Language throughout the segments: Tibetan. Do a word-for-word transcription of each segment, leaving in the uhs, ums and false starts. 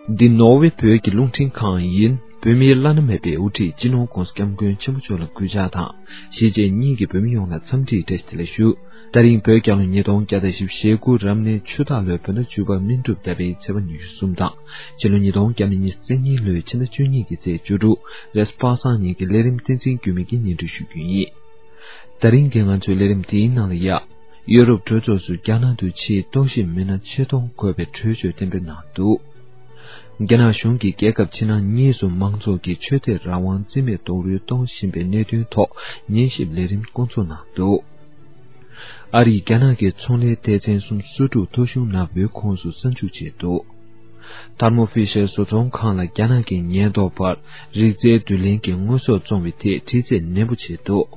འདི་ནོར་ཝེ་བོད་ཀྱི་རླུང་འཕྲིན་ཁང་ཡིན། བོད་མིའི་བླ་ན་མེད་པའི་དབུ་ཁྲིད་སྤྱི་ནོར་༧གོང་ས་༧སྐྱབས་མགོན་ཆེན་པོ་མཆོག་ལ་གུས་ཕྱག་དང་། གཞིས་བྱེས་གཉིས་ཀྱི་བོད་མི་ཡོངས་ལ་འཚམས་འདྲིའི་བཀྲ་ཤིས་བདེ་ལེགས་ཞུ། ད་རིང་བོད་རྒྱལ་ལོ་ཉིས་སྟོང་བརྒྱ་དང་བཞི་བཅུ་ཞེ་དགུ་རབ་གནས་ཆུ་སྟག་ལོའི་བོད་ཟླ་བཅུ་པ་སྨིན་དྲུག་ཟླ་བའི་ཚེས་པ་ཉི་ཤུ་གསུམ་དང་། ཕྱི་ལོ་ཉིས་སྟོང་བརྒྱ་མེད་ཉི་ཤུ་རྩ་གཉིས་ལོའི་ཕྱི་ཟླ་བཅུ་གཉིས་ཀྱི་ཚེས་བཅུ་དྲུག་རེས་པ་སངས་ཉིན་གྱི་ལས་རིམ་བསྟན་འཛིན་འགྱུར་མེད་ཀྱིས་སྙན་སྒྲོན་ཞུ་རྒྱུ་ཡིན། ད་རིང་གི་ང་ཚོའི་ལས་རིམ་འདིའི་ནང་ལ་ཡ། ཡུ་རོབ་གྲོས་ཚོགས་སུ་རྒྱ་ནག་ཏུ་ཕྱིའི་རྟོག་ཞིབ་མི་སྣ་ཆེད་གཏོང་དགོས་པའི་གྲོས་ཆོད་གཏན་འབེབས་གནང་འདུག་རྒྱ་ནག་གཞུང་གིས་རྒྱལ་ཁབ་ཕྱི་ནང་གཉིས་སུ་མང་ཚོགས་ཀྱི་ཆོས་དད་རང་དབང་རྩིས་མེད་རྡོག་རོལ་གཏོང་བཞིན་པའི་གནད་དོན་ཐོག་ཉན་ཞིབ་ལས་རིམ་བསྐོང་ཚོགས་གནང་འདུག་ཨ་རིས་རྒྱ་ནག་གི་ཚོང་ལས་སྡེ་ཚན་སུམ་ཅུ་སོ་དྲུག་ཐོ་གཞུང་ནག་པོའི་ཁོངས་སུ་གསར་འཇུག་བྱས་འདུག་ཐར་མོ་ཕི་ཤར་བཟོ་ཚོང་ཁང་ལ་རྒྱ་ནག་གི་ཉེན་རྟོག་པར་རིག་རྩལ་བསྡུ་ལེན་གྱི་དངོས་ཟོག་བཙོང་བའི་ཐད་དྲི་རྩད་ནན་པོ་བྱས་འདུག་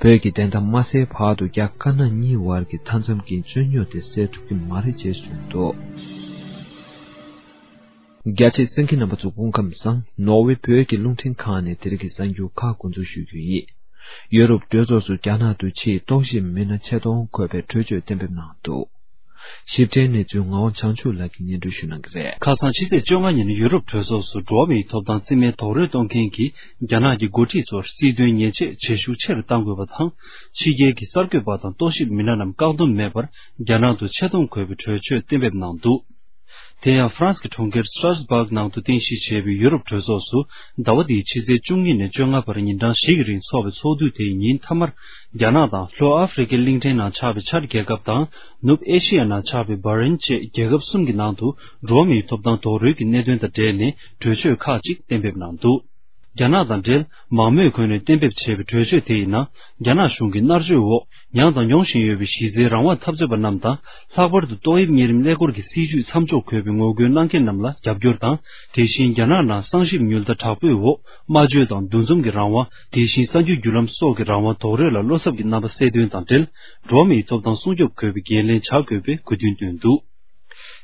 བོད་ཀྱི་བདེན་མཐའ་མ་གསལ་བར་དུ་རྒྱ་དཀར་ནག་གཉིས་བར་གྱི་མཐའ་མཚམས་ཀྱི་རྩོད་རྙོག་དེ་སེལ་ཐུབ་ཀྱི་མ་རེད་ཅེས་གསུངས་འདུག་རྒྱ་ཆེའི་གསན་མཁན་རྣམ་པ་ཚོ་སྐུ་ཁམས་བཟང་། ནོར་ཝེ་བོད་ཀྱི་རླུང་འཕྲིན་ཁང་ནས་དེ་རིང་གི་གསར་འགྱུར་ཁག་འགོ་འཛུགས་ཞུ་རྒྱུ་ཡིན། ཡུ་རོབ་གྲོས་ཚོགས་སུ་རྒྱ་ནག་ཏུ་ཕྱིའི་རྟོག་ཞིབ་མི་སྣ་ཆེད་གཏོང་དགོས་པའི་གྲོས་ཆོད་གཏན་འབེབས་གནང་འདུག་ཞིབ་ཕྲའི་གནས་ཚུལ་ངག་དབང་བྱང་ཆུབ་ལགས་ཀྱིས་སྙན་སྒྲོན་ཞུ་གནང་གི་རེད། ཁ་སང་ཕྱི་ཚེས་བཅོ་ལྔ་ཉིན་ཡུ་རོབ་གྲོས་ཚོགས་སུ་འགྲོ་བ་མིའི་ཐོབ་ཐང་རྩིས་མེད་རྡོག་རོལ་གཏོང་མཁན་གྱི་རྒྱ་ནག་གི་འགོ་ཁྲིད་ཚོར་སྲིད་དོན་ཉེས་ཆད་བྱེད་ཤུགས་ཆེ་རུ་གཏང་དགོས་པ་དང་། ཕྱི་རྒྱལ་གྱི་གསར་འགོད་པ་དང་རྟོག་ཞིབ་མི་སྣ་རྣམས་བཀག་སྡོམ་མེད་པར་རྒྱ་ནག་ཏུ་ཆེད་གཏོང་དགོས་པའི་གྲོས་ཆོད་གཏན་འབེབས་གནང་འདུག་དེ་ཡང་ཧྥ་རན་སི་གི་གྲོང་ཁྱེར་སི་ཊ་ར་སི་སྦག་ནང་དུ་རྟེན་གཞི་བྱས་པའི་ཡུ་རོབ་གྲོས་ཚོགས་སུ་ཟླ་བ་འདིའི་ཕྱི་ཚེས་བཅུ་གཉིས་ནས་བཅོ་ལྔ་བར་ཉིན་གྲངས་བཞི་གི་རིང་འཚོགས་པའི་ཚོགས་འདུ་དེའི་ཉིན་མཐའ་མར། རྒྱ་ནག་དང་ལྷོ་ཨ་ཧྥེ་རི་ཁའི་གླིང་ཕྲན་ནང་ཆགས་པའི་ཆ་རྒྱལ་ཁབ་དང་ནུབ་ཨེ་ཤི་ཡ་ནང་ཆགས་པའི་བྷ་རེན་བཅས་རྒྱལ་ཁབ་གསུམ་གྱི་ནང་དུ་འགྲོ་བ་མིའི་ཐོབ་ཐང་རྡོག་རོལ་གྱི་གནད་དོན་དང་འབྲེལ་ནས་གྲོས་ཆོད་ཁག་ཅིག་གཏན་འབེབས་གནང་འདུག་རྒྱ་ནག་དང་འབྲེལ་མང་མོས་ཁོངས་ནས་གཏན་འབེབས་བྱས་པའི་གྲོས་ཆོད་དེ་ཡི་ནང་། རྒྱ་ནག་གཞུང་གི་མནར་གཅོད་འོག་མྱངས་དང་མྱོང་བཞིན་ཡོད་པའི་གཞི་རྩའི་རང་དབང་འཐབ་རྩོད་པ་རྣམས་དང་། ལྷག་པར་དུ་ཏོག་དབྱིབས་གཉན་རིམས་ཀླད་ཀོར་གྱི་སྲིད་ཇུས་མཚམས་འཇོག་དགོས་པའི་ངོ་རྒོལ་གནང་མཁན་རྣམས་ལ་རྒྱབ་སྐྱོར་དང་། དེ་བཞིན་རྒྱ་ནག་ནང་གསང་ཞིབ་ཉུལ་ལྟ་དྲག་པོའི་འོག་སྨྲ་བརྗོད་དང་འདུ་འཛོམས་ཀྱི་རང་དབང་། དེ་བཞིན་གསར་འགྱུར་བརྒྱུད་ལམ་སོགས་ཀྱི་རང་དབང་རྡོག་རོལ་ལ་བློ་འཚབ་ཀྱི་རྣམ་པ་གསལ་དོན་དང་འབྲེལ། འགྲོ་བ་མིའི་ཐོབ་ཐང་སྲུང་སྐྱོབ་དགོས་པའི་འགན་ལེན་བྱ་དགོས་པའི་དགོས་འདུན་བཏོན་འདུག་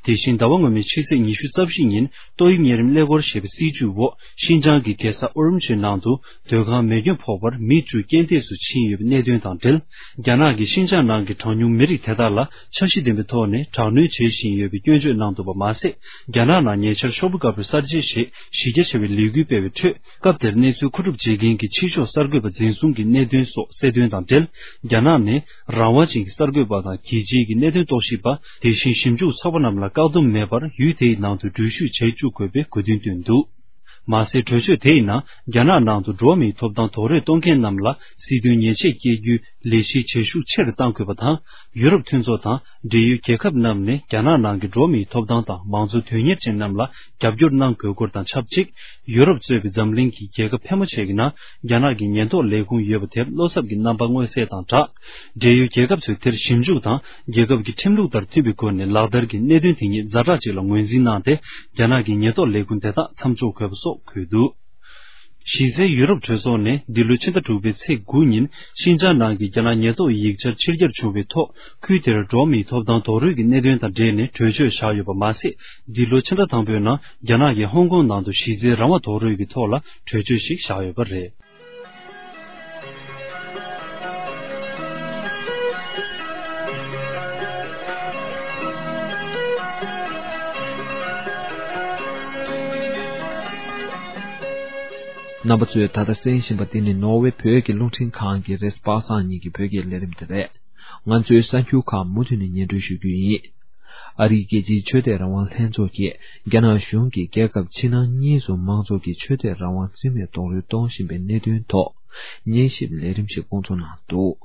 དེ་བཞིན་ཟླ་བ་སྔོན་མའི་ཕྱི་ཚེས་ཉི་ཤུ་རྩ་བཞི་ཉིན་ཏོག་དབྱིབས་གཉན་རིམས་ཀླད་ཀོར་ཞེས་པའི་སྲིད་ཇུས་འོག་ཤིན་ཅང་གི་རྒྱལ་ས་ཨུ་རུམ་ཆིའི་ནང་དུ་སྡོད་ཁང་མེ་སྐྱོན་ཕོག་པར་མི་བཅུ་རྐྱེན་འདས་སུ་ཕྱིན་ཡོད་པའི་གནད་དོན་དང་འབྲེལ། རྒྱ་ནག་གིས་ཤིན་ཅང་ནང་གི་གྲངས་ཉུང་མི་རིགས་དེ་དག་ལ་འཆར་གཞི་ལྡན་པའི་ཐོག་ནས་དྲག་གནོན་བྱེད་བཞིན་ཡོད་པའི་སྐྱོན་བརྗོད་གནང་འདུག་པ་མ་ཟད། རྒྱ་ནག་ནང་ཉེ་ཆར་ཤོག་བུ་དཀར་པོའི་གསར་བརྗེ་ཞེས་གཞི་རྒྱ་ཆེ་བའི་ལས་འགུལ་སྤེལ་བའི་ཁྲོད། སྐབས་དེར་གནས་ཚུལ་མཁོ་སྒྲུབ་བྱེད་མཁན་གྱི་ཕྱི་ཕྱོགས་གསར་འགོད་པ་འཛིན་བཟུང་གི་གནད་དོན་སོགས་གསལ་དོན་དང་འབྲེལ། རྒྱ་ནག་ནས་རང་དབང་ཅན་གྱི་གསར་འགོད་པ་དང་རྒྱལ་སྤྱིའི་གི་གནད་དོན་རྟོག་ཞིབ་པ། དེ་བཞིན་ཞིབ་འཇུག་ཚོགས་པ་རྣམས་ལ་བཀག་སྡོམ་མེད་པར་ཡུལ་དེའི་ནང་དུ་འགྲུལ་བཞུད་བྱེད་བཅུག་དགོས་པའི་དགོས་འདུན་བཏོན་འདུག་མ་ཟད། གྲོས་ཆོད་དེའི་ནང་རྒྱ་ནག་ནང་དུ་འགྲོ་བ་མིའི་ཐོབ་ཐང་རྡོག་རོལ་གཏོང་མཁན་རྣམས་ལ་སྲིད་དོན་ཉེས་ཆད་བཀལ་རྒྱུའི་ལས་གཞིའི་བྱེད་ཤུགས་ཆེ་རུ་གཏང་དགོས་པ་དང་། ཡུ་རོབ་མཐུན་ཚོགས་དང་འབྲེལ་ཡོད་རྒྱལ་ཁབ་རྣམས་ནས་རྒྱ་ནག་ནང་གི་འགྲོ་བ་མིའི་ཐོབ་ཐང་དང་མང་གཙོ་དོན་གཉེར་ཅན་རྣམས་ལ་རྒྱབ་སྐྱོར་གནང་དགོས་སྐོར་དང་ཆབས་ཅིག་ཡུ་རོབ་གཙོས་པའི་འཛམ་གླིང་གི་རྒྱལ་ཁབ་ཕལ་མོ་ཆེ་གི་ནང་རྒྱ་ནག་གི་ཉེན་རྟོག་ལས་ཁུངས་ཡོད་པ་དེར་བློ་འཚབ་ཀྱི་རྣམ་པ་མངོན་གསལ་དང་སྦྲགས། འབྲེལ་ཡོད་རྒྱལ་ཁབ་ཚོས་དེར་ཞིབ་འཇུག་དང་། རྒྱལ་ཁབ་ཀྱི་ཁྲིམས་ལུགས་ལྟར་མཐུན་པའི་སྒོ་ནས་ལག་བསྟར་གྱི་གནད་དོན་དེ་ཉིད་ཛ་དྲག་ཅིག་ལ་ངོས་འཛིན་གནང་སྟེ། རྒྱ་ནག་གི་ཉེན་རྟོག་ལས་ཁུངས་དེ་དག་མཚམས་འཇོག་དགོས་པ་སོགས་འཁོད་འདུག་གཞི་རྩའི་ཡུ་རོབ་གྲོས་ཚོགས་ནས་འདི་ལོ་ཕྱི་ཟླ་དྲུག་པའི་ཚེས་དགུ་ཉིན་ཤིན་ཅང་ནང་གི་རྒྱ་ནག་ཉེན་རྟོག་ཡིག་ཆར་ཕྱིར་གྱར་བྱུང་བའི་ཐོག་ཁུལ་དེར་འགྲོ་བ་མིའི་ཐོབ་ཐང་རྡོག་རོལ་གྱི་གནད་དོན་དང་འབྲེལ་ནས་གྲོས་ཆོད་བཞག་ཡོད་པ་མ་ཟད། འདི་ལོ་ཕྱི་ཟླ་དང་པོའི་ནང་རྒྱ་ནག་གིས་ཧོང་ཀོང་ནང་དུ་གཞི་རྩའི་རང་དབང་རྡོག་རོལ་གྱི་ཐོག་ལ་གྲོས་ཆོད་ཞིག་བཞག་ཡོད་པ་རེད། རྣམ་པ་ཚོས་ད་ལྟ་གསན་བཞིན་པ་འདི་ནི་ནོར་ཝེ་བོད་ཀྱི་རླུང་འཕྲིན་ཁང་གི་རེས་པ་སངས་ཉིན་གྱི་བོད་སྐད་ལས་རིམ་དེ་རེད། ང་ཚོའི་གསར་འགྱུར་ཁག་མུ་མཐུད་ནས་སྙན་སྒྲོན་ཞུ་རྒྱུ་ཡིན། ཨ་རིའི་རྒྱལ་སྤྱིའི་ཆོས་དད་རང་དབང་ལྷན་ཚོགས་ཀྱིས་རྒྱ་ནག་གཞུང་གིས་རྒྱལ་ཁབ་ཕྱི་ནང་གཉིས་སུ་མང་ཚོགས་ཀྱི་ཆོས་དད་རང་དབང་རྩིས་མེད་རྡོག་རོལ་གཏོང་བཞིན་པའི་གནད་དོན་ཐོག་ཉན་ཞིབ་ལས་རིམ་ཞིག་བསྐོང་ཚོགས་གནང་འདུག་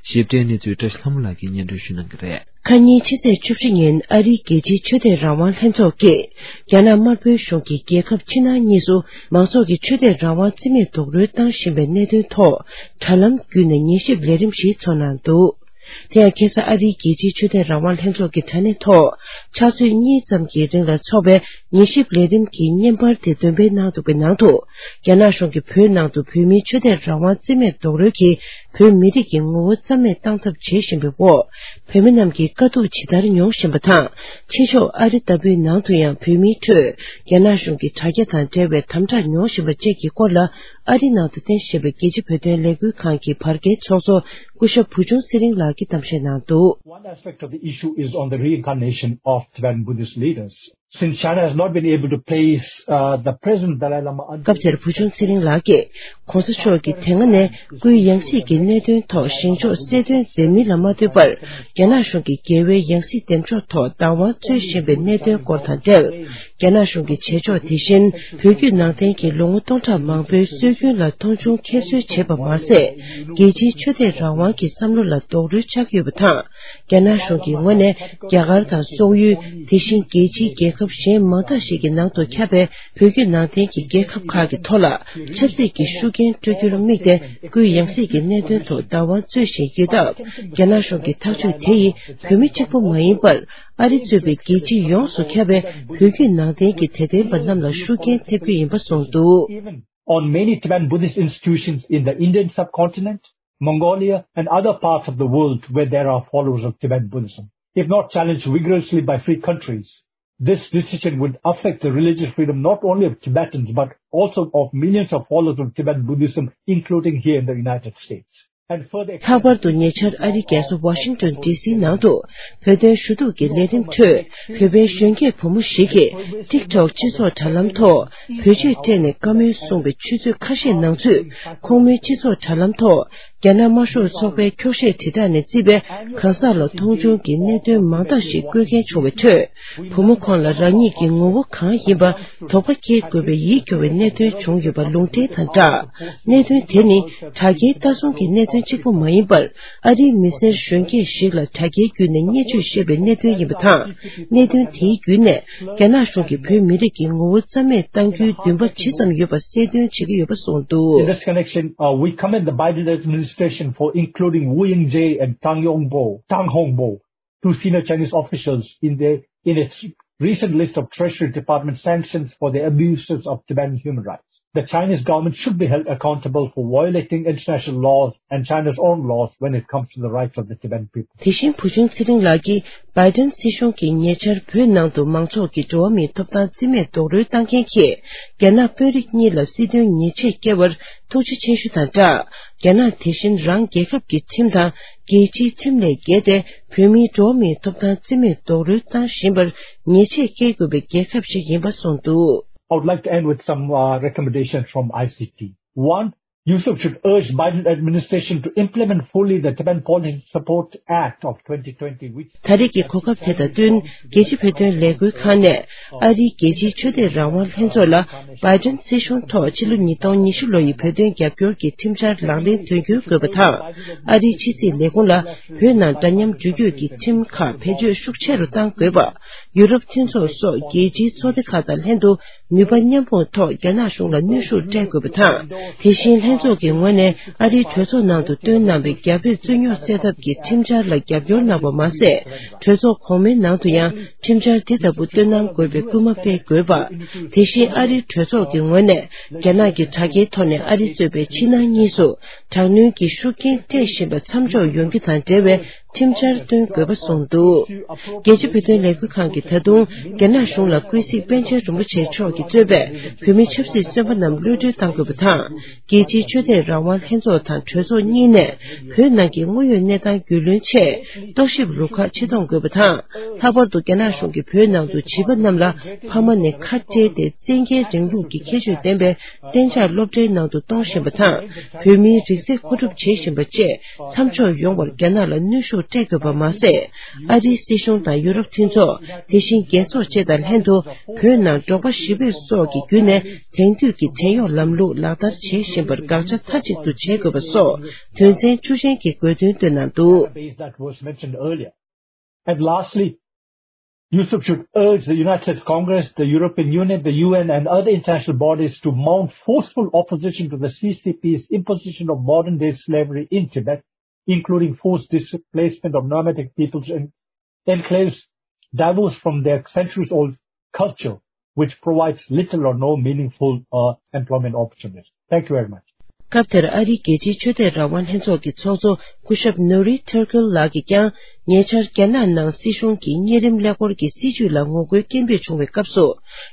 ཞིབ་ཕྲའི་གནས་ཚུལ་བཀྲ་ཤིས་ལྷ་མོ་ལགས་ཀྱིས་སྙན་སྒྲོན་ཞུ་གནང་གི་རེད། ཁ་ཉིན་ཕྱི་ཚེས་བཅུ་བཞི་ཉིན་ཨ་རིའི་རྒྱལ་སྤྱིའི་ཆོས་དད་རང་དབང་ལྷན་ཚོགས་ཀྱིས་རྒྱ་ནག་དམར་པོའི་གཞུང་གིས་རྒྱལ་ཁབ་ཕྱི་ནང་གཉིས་སུ་མང་ཚོགས་ཀྱི་ཆོས་དད་རང་དབང་རྩིས་མེད་རྡོག་རོལ་བཏང་བཞིན་པའི་གནད་དོན་ཐོག་དྲ་ལམ་བརྒྱུད་ནས་ཉན་ཞིབ་ལས་རིམ་ཞིག་ཚོགས་གནང་འདུག་དེ་ཡང་ཁ་སང་ཨ་རིའི་རྒྱལ་སྤྱིའི་ཆོས་དད་རང་དབང་ལྷན་ཚོགས་ཀྱི་དྲ་གནས་ཐོག་ཕྱག་ཚོད་གཉིས་ཙམ་གྱི་རིང་ལ་འཚོགས་པའི་ཉན་ཞིབ་ལས་རིམ་གྱི་བརྙན་པར་དེ་འདོན་སྤེལ་གནང་འདུག་པའི་ནང་དུ། རྒྱ་ནག་གཞུང་གིས་བོད་ནང་དུ་བོད་མིའི་ཆོས་དད་རང་དབང་རྩིས་མེད་རྡོག་རོལ་གྱིས་བོད་མི་རིགས་ཀྱི་ངོ་བོ་རྩ་མེད་བཏང་ཐབས་བྱེད་བཞིན་པའི་འོག་བོད་མི་རྣམས་ཀྱིས་དཀའ་སྡུག་ཇི་ལྟར་མྱོང་བཞིན་པ་དང་། ཕྱི་ཕྱོགས་ཨ་རི་ལྟ་བུའི་ནང་དུ་ཡང་བོད་མིའི་ཁྲོད་རྒྱ་ནག་གཞུང་གི་དྲ་རྒྱ་དང་འབྲེལ་བའི་དམ་དྲག་མྱོང་བཞིན་པ་བཅས་ཀྱི་སྐོར་ལ། ཨ་རིའི་ནང་དུ་རྟེན་གཞི་བྱས་པའི་རྒྱལ་སྤྱིའི་བོད་དོན་ལས་འགུལ་ཁང་གི་བར་བརྒལ་ཚོགས་གཙོ་སྐུ་ཞབས་བུ་ཆུང་ཚེ་རིང་ལགས་ཀྱིས་གཏམ་བཤད་གནང་འདུག One aspect of the issue is on the reincarnation of Tibetan Buddhist leaders. Since China has not been able to place, uh, the present Dalai Lama under སྐབས་དེར་བུ་ཆུང་ཚེ་རིང་ལགས་ཀྱིས། ༸གོང་ས་མཆོག་གིས་དེ་སྔ་ནས་སྐུའི་ཡང་སྲིད་ཀྱི་གནད་དོན་ཐོག་བཞེངས་ཕྱོགས་གསལ་སྟོན་མཛད་མིན་ལ་མ་ལྟོས་པར། རྒྱ་ནག་གཞུང་གིས་རྒྱལ་བའི་ཡང་སྲིད་འདེམས་འཇོག་ཐོག་བདག་དབང་རྩོད་བཞིན་པའི་གནད་དོན་སྐོར་དང་འབྲེལ། རྒྱ་ནག་གཞུང་གི་བྱེད་ཕྱོགས་དེ་བཞིན། བོད་བརྒྱུད་ནང་བསྟན་གྱི་ལོ་ངོ་སྟོང་ཕྲག་མང་པོའི་སྲོལ་རྒྱུན་ལ་མཐོང་ཆུང་ཁྱད་གསོད་བྱེད་པ་མ་ཟད། རྒྱལ་སྤྱིའི་ཆོས་དད་རང་དབང་གི་བསམ་བློ་ལ་རྡོག་རོལ་ཆགས་ཡོད་པ་དང་། རྒྱ་ནག་གཞུང་གི་ངོས་ནས་རྒྱ་གར་དང་སོག་ཡུལ། དེ་བཞིན་རྒྱལ་སྤྱིའི་རྒྱལ་ཁབ་གཞན་མང་དག་ཞིག་གི་ནང་དུ་ཁྱབ་པའི་བོད་བརྒྱུད་ནང་བསྟན་གྱི་རྒྱལ་ཁབ་ཁག་གི་ཐོག་ལ་ཆབ་སྲིད་ཀྱི་ཤུགས་རྐྱེན་སྤྲོད་རྒྱུར་དམིགས་ཏེ། སྐུའི་ཡང་སྲིད་ཀྱི་གནད་དོན་ཐོག་བདག་དབང་རྩོད་བཞིན་ཡོད་སྟབས། རྒྱ་ནག་གཞུང་གི་ཐག་གཅོད་དེ་ཡིས་བོད་མི་གཅིག་པུ་མ་ཡིན་པར། ཨ་རི་གཙོས་པའི་རྒྱལ་སྤྱི་ཡོངས་སུ་ཁྱབ་པའི་བོད་བརྒྱུད་ནང་བསྟན་གྱི་དད་ལྡན་པ་རྣམས་ལ་ཤུགས་རྐྱེན་ཐེབས་རྒྱུ་ཡིན་པ་གསུངས་འདུག On many Tibetan Buddhist institutions in the Indian subcontinent, Mongolia, and other parts of the world where there are followers of Tibetan Buddhism. If not challenged vigorously by free countries, this decision would affect the religious freedom not only of Tibetans but also of millions of followers of Tibetan Buddhism, including here in the United States. And further ལྷག་པར་དུ་ཉེ་ཆར་ཨ་རིའི་རྒྱལ་ས་ཝ་ཤིང་ཏོན་ཌི་སི་ནང་དུ་བོད་དོན་ཞུ་གཏུག་གི་ལས་རིམ་ཁྲོད། བོད་པའི་གཞོན་སྐྱེས་བུ་མོ་ཞིག་གིས་ཊིག་ཊོག་སྤྱི་ཚོགས་དྲ་ལམ་ཐོག་བོད་ཆས་སྤྲས་ནས་བཀའ་མོལ་གསུངས་པའི་ཆུ་ཚོད་ཁ་ཤས་ནང་ཚུད། ཁོང་མོའི་སྤྱི་ཚོགས་དྲ་ལམ་ཐོག་རྒྱ་ནག་དམར་ཤོག་ཚོགས་པའི་འཁྱོག་བཤད་དྲིལ་བསྒྲགས་ནས་བརྩིས་པའི་གང་ཟག་ལ་མཐོང་ཆུང་གི་གནད་དོན་མང་དག་ཞིག་བཀོད་མཁན་བྱུང་བའི་ཁྲོད། བུ་མོ་ཁོང་ལ་རང་ཉིད་ཀྱི་ངོ་བོ་གང་ཡིན་པ་དོགས་པ་སྐྱེ་དགོས་པའི་ཡིད་སྐྱོ་བའི་གནད་དོན་བྱུང་ཡོད་པ་ལུང་འདྲེན་དང་སྦྲགས། གནད་དོན་དེ་ནི་དྲ་རྒྱའི་ལྟ་སྲུང་གི་གནད་དོན་གཅིག་པུ་མ་ཡིན་པར། ཨ་རིའི་མི་སེར་གཞོན་སྐྱེས་ཤིག་ལ་དྲ་རྒྱའི་བརྒྱུད་ནས་བརྙས་བཅོས་བཤད་པའི་གནད་དོན་ཡིན་པ་དང་། གནད་དོན་དེའི་བརྒྱུད་ནས་རྒྱ་ནག་གཞུང་གིས་བོད་མི་རིགས་ཀྱི་ངོ་བོ་རྩ་མེད་གཏང་རྒྱུའི་འདུན་པ་ཇི་ཙམ་ཡོད་པ་གསལ་སྟོན་བྱེད་ཀྱི་ཡོད་པ་གསུངས་འདུག In this connection, uh, we commend the Biden administration for including Wu Yingje and Tang Yongbo, Tang Hongbo, two senior Chinese officials in the, in its recent list of Treasury Department sanctions for the abuses of Tibetan human rights. The Chinese government should be held accountable for violating international laws and China's own laws when it comes to the rights of the Tibetan people. དེ་བཞིན་བུ་ཆུང་ཚེ་རིང་ལགས་ཀྱིས་བའི་ཏན་སྲིད་གཞུང་གིས་ཉེ་ཆར་བོད་ནང་དུ་མང་ཚོགས་ཀྱི་འགྲོ་བ་མིའི་ཐོབ་ཐང་རྩིས་མེད་རྡོག་རོལ་བཏང་མཁན་གྱིས་རྒྱ་ནག་དཔོན་རིགས་གཉིས་ལ་སྲིད་དོན་ཉེས་ཆད་བཀལ་བར་ཐུགས་རྗེ་ཆེ་ཞུ་དང་སྦྲགས། རྒྱ་ནག་དེ་བཞིན་རང་རྒྱལ་ཁབ་ཀྱི་ཁྲིམས་དང་རྒྱལ་སྤྱིའི་ཁྲིམས་ལས་བརྒལ་ཏེ། བོད་མིའི་འགྲོ་བ་མིའི་ཐོབ་ཐང་རྩིས་མེད་རྡོག་རོལ་བཏང་བཞིན་པར་ཉེས་ཆད་བཀལ་དགོས་པའི་རྒྱལ་ཁབ་ཞིག་ཡིན་པ་གསུངས་འདུག I would like to end with some, uh, recommendations from I C T. One, USUP should urge Biden administration to implement fully the Tibetan Policy Support Act of twenty twenty, which ད་རེས་ཀྱི་གོ་སྐབས་དེ་དང་བསྟུན། རྒྱལ་སྤྱི་བོད་དོན་ལས་འགུལ་ཁང་ནས་ཨ་རིའི་རྒྱལ་སྤྱིའི་ཆོས་དད་རང་དབང་ལྷན་ཚོགས་ལ་བའི་ཏན་སྲིད་གཞུང་ཐོག་ཕྱི་ལོ་ཉིས་སྟོང་ཉི་ཤུ་ལོ་ཡི་བོད་དོན་རྒྱབ་སྐྱོར་གྱི་ཁྲིམས་འཆར་ལག་ལེན་དོན་འཁྱོལ་དགོས་པ་དང་། ཨ་རིའི་ཕྱི་སྲིད་ལས་ཁུངས་ལ་བོད་ནང་འདྲ་མཉམ་འགྲུལ་སྐྱོད་ཀྱི་ཁྲིམས་ཁག་བེད་སྤྱོད་ཤུགས་ཆེ་རུ་གཏང་དགོས་པ། ཡུ་རོབ་མཐུན་ཚོགས་སོགས་རྒྱལ་སྤྱིའི་ཚོགས་སྡེ་ཁག་དང་ལྷན་དུ་ནུས་པ་མཉམ་སྤུངས་ཐོག་རྒྱ་ནག་གཞུང་ལ་གནོན་ཤུགས་སྤྲད་དགོས་པ་དང་། དེ་བཞིན་ལྷན་ཚོགས་ཀྱི་ངོས་ནས་ཨ་རིའི་གྲོས་ཚོགས་ནང་དུ་བཏོན་གནང་བའི་རྒྱ་བོད་རྩོད་རྙོག་སེལ་ཐབས་ཀྱི་ཁྲིམས་འཆར་ལ་རྒྱབ་སྐྱོར་གནང་བ་མ་ཟད། གྲོས་ཚོགས་གོང་མའི་ནང་དུ་ཡང་ཁྲིམས་འཆར་དེ་ལྟ་བུ་བཏོན་གནང་དགོས་པའི་སྐུལ་མ་སྤེལ་དགོས་པ། དེ་བཞིན་ཨ་རིའི་གྲོས་ཚོགས་ཀྱི་ངོས་ནས་རྒྱ་ནག་གི་དྲ་རྒྱའི་ཐོག་ནས་ཨ་རི་གཙོས་པའི་ཕྱི་ནང་གཉིས་སུ་དྲག་གནོན་གྱི་ཤུགས་རྐྱེན་སྤྲད་བཞིན་པ་མཚམས་འཇོག་ཡོང་རྒྱུ་དང་འབྲེལ་བའི་ཁྲིམས་འཆར་བཏོན་དགོས་པ་གསུངས་འདུག་རྒྱལ་སྤྱི་བོད་དོན་ལས་འགུལ་ཁང་གིས་ད་དུང་རྒྱ་ནག་གཞུང་ལ་ཀུན་གཟིགས་པཎ་ཆེན་རིན་པོ་ཆེ་མཆོག་གིས་གཙོས་པའི་བོད་མི་ཆབ་སྲིད་བཙོན་པ་རྣམས་གློད་གྲོལ་གཏང་དགོས་པ་དང་། རྒྱལ་སྤྱིའི་ཆོས་དད་རང་དབང་ལྷན་ཚོགས་དང་གྲོས་ཚོགས་གཉིས་ནས་བོད་ནང་གི་དངོས་ཡོད་གནས་སྟངས་རྒྱུས་ལོན་ཆེད་རྟོག་ཞིབ་རུ་ཁག་ཕྱིར་གཏོང་དགོས་པ་དང་། ལྷག་པར་དུ་རྒྱ་ནག་གཞུང་གིས་བོད་ནང་དུ་བྱིས་པ་རྣམས་ལ་ཕ་མ་ནས་ཁ་བྲལ་ཏེ་བཙན་རྒྱལ་རིང་ལུགས་ཀྱི་ཁྱད་ཆོས་ལྡན་པའི་གཏན་འཇགས་སློབ་གྲྭའི་ནང་དུ་གཏོང་བཞིན་པ་དང་། བོད་མིའི་རིགས་རྫས་མཁོ་སྒྲུབ་བྱེད་བཞིན་པ་བཅས་མཚམས་འཇོག་ཡོང་བར་རྒྱ་ནག་ལ་གནོན་ཤུགས་སྤྲད་དགོས་པ་མ་ཟད། ཨ་རིའི་སྲིད་གཞུང་དང་ཡུ་རོབ་མཐུན་ཚོགས། དེ་བཞིན་རྒྱལ་ཚོགས་བཅས་དང་ལྷན་དུ་བོད་ནང་འབྲོག་པ་ཞི་བོད་སོགས་ཀྱི་བརྒྱུད་ནས་དེང་དུས་ཀྱི་བྲན་གཡོག་ལམ་ལུགས་ལག་བསྟར་བྱེད་བཞིན་པར་དགག་བྱ་མཐའ་གཅིག་ཏུ་བྱེད་དགོས་པ་སོགས་དོན་ཚན་བཅུ་ཅན་གྱི་དགོས་འདུན་བཏོན་གནང་འདུག Base that was mentioned earlier. And lastly, USUP should urge the United States Congress, the European Union, the U N, and other international bodies to mount forceful opposition to the C C P's imposition of modern-day slavery in Tibet, including forced displacement of nomadic peoples and enclaves divorced from their centuries-old culture, which provides little or no meaningful, uh, employment opportunities. Thank you very much. སྐབས་དེར་ཨ་རིའི་རྒྱལ་སྤྱིའི་ཆོས་དད་རང་དབང་ལྷན་ཚོགས་ཀྱི་ཚོགས་གཙོ་སྐུ་ཞབས་ནོ་རི་ཐེར་ཀིལ་ལགས་ཀྱིས་ཀྱང་། ཉེ་ཆར་རྒྱ་ནག་ནང་སྲིད་གཞུང་གི་གཉན་རིམས་ཀླད་ཀོར་གྱི་སྲིད་བྱུས་ལ་ངོ་རྒོལ་སྐད་འབོད་བྱུང་བའི་སྐབས་སུ།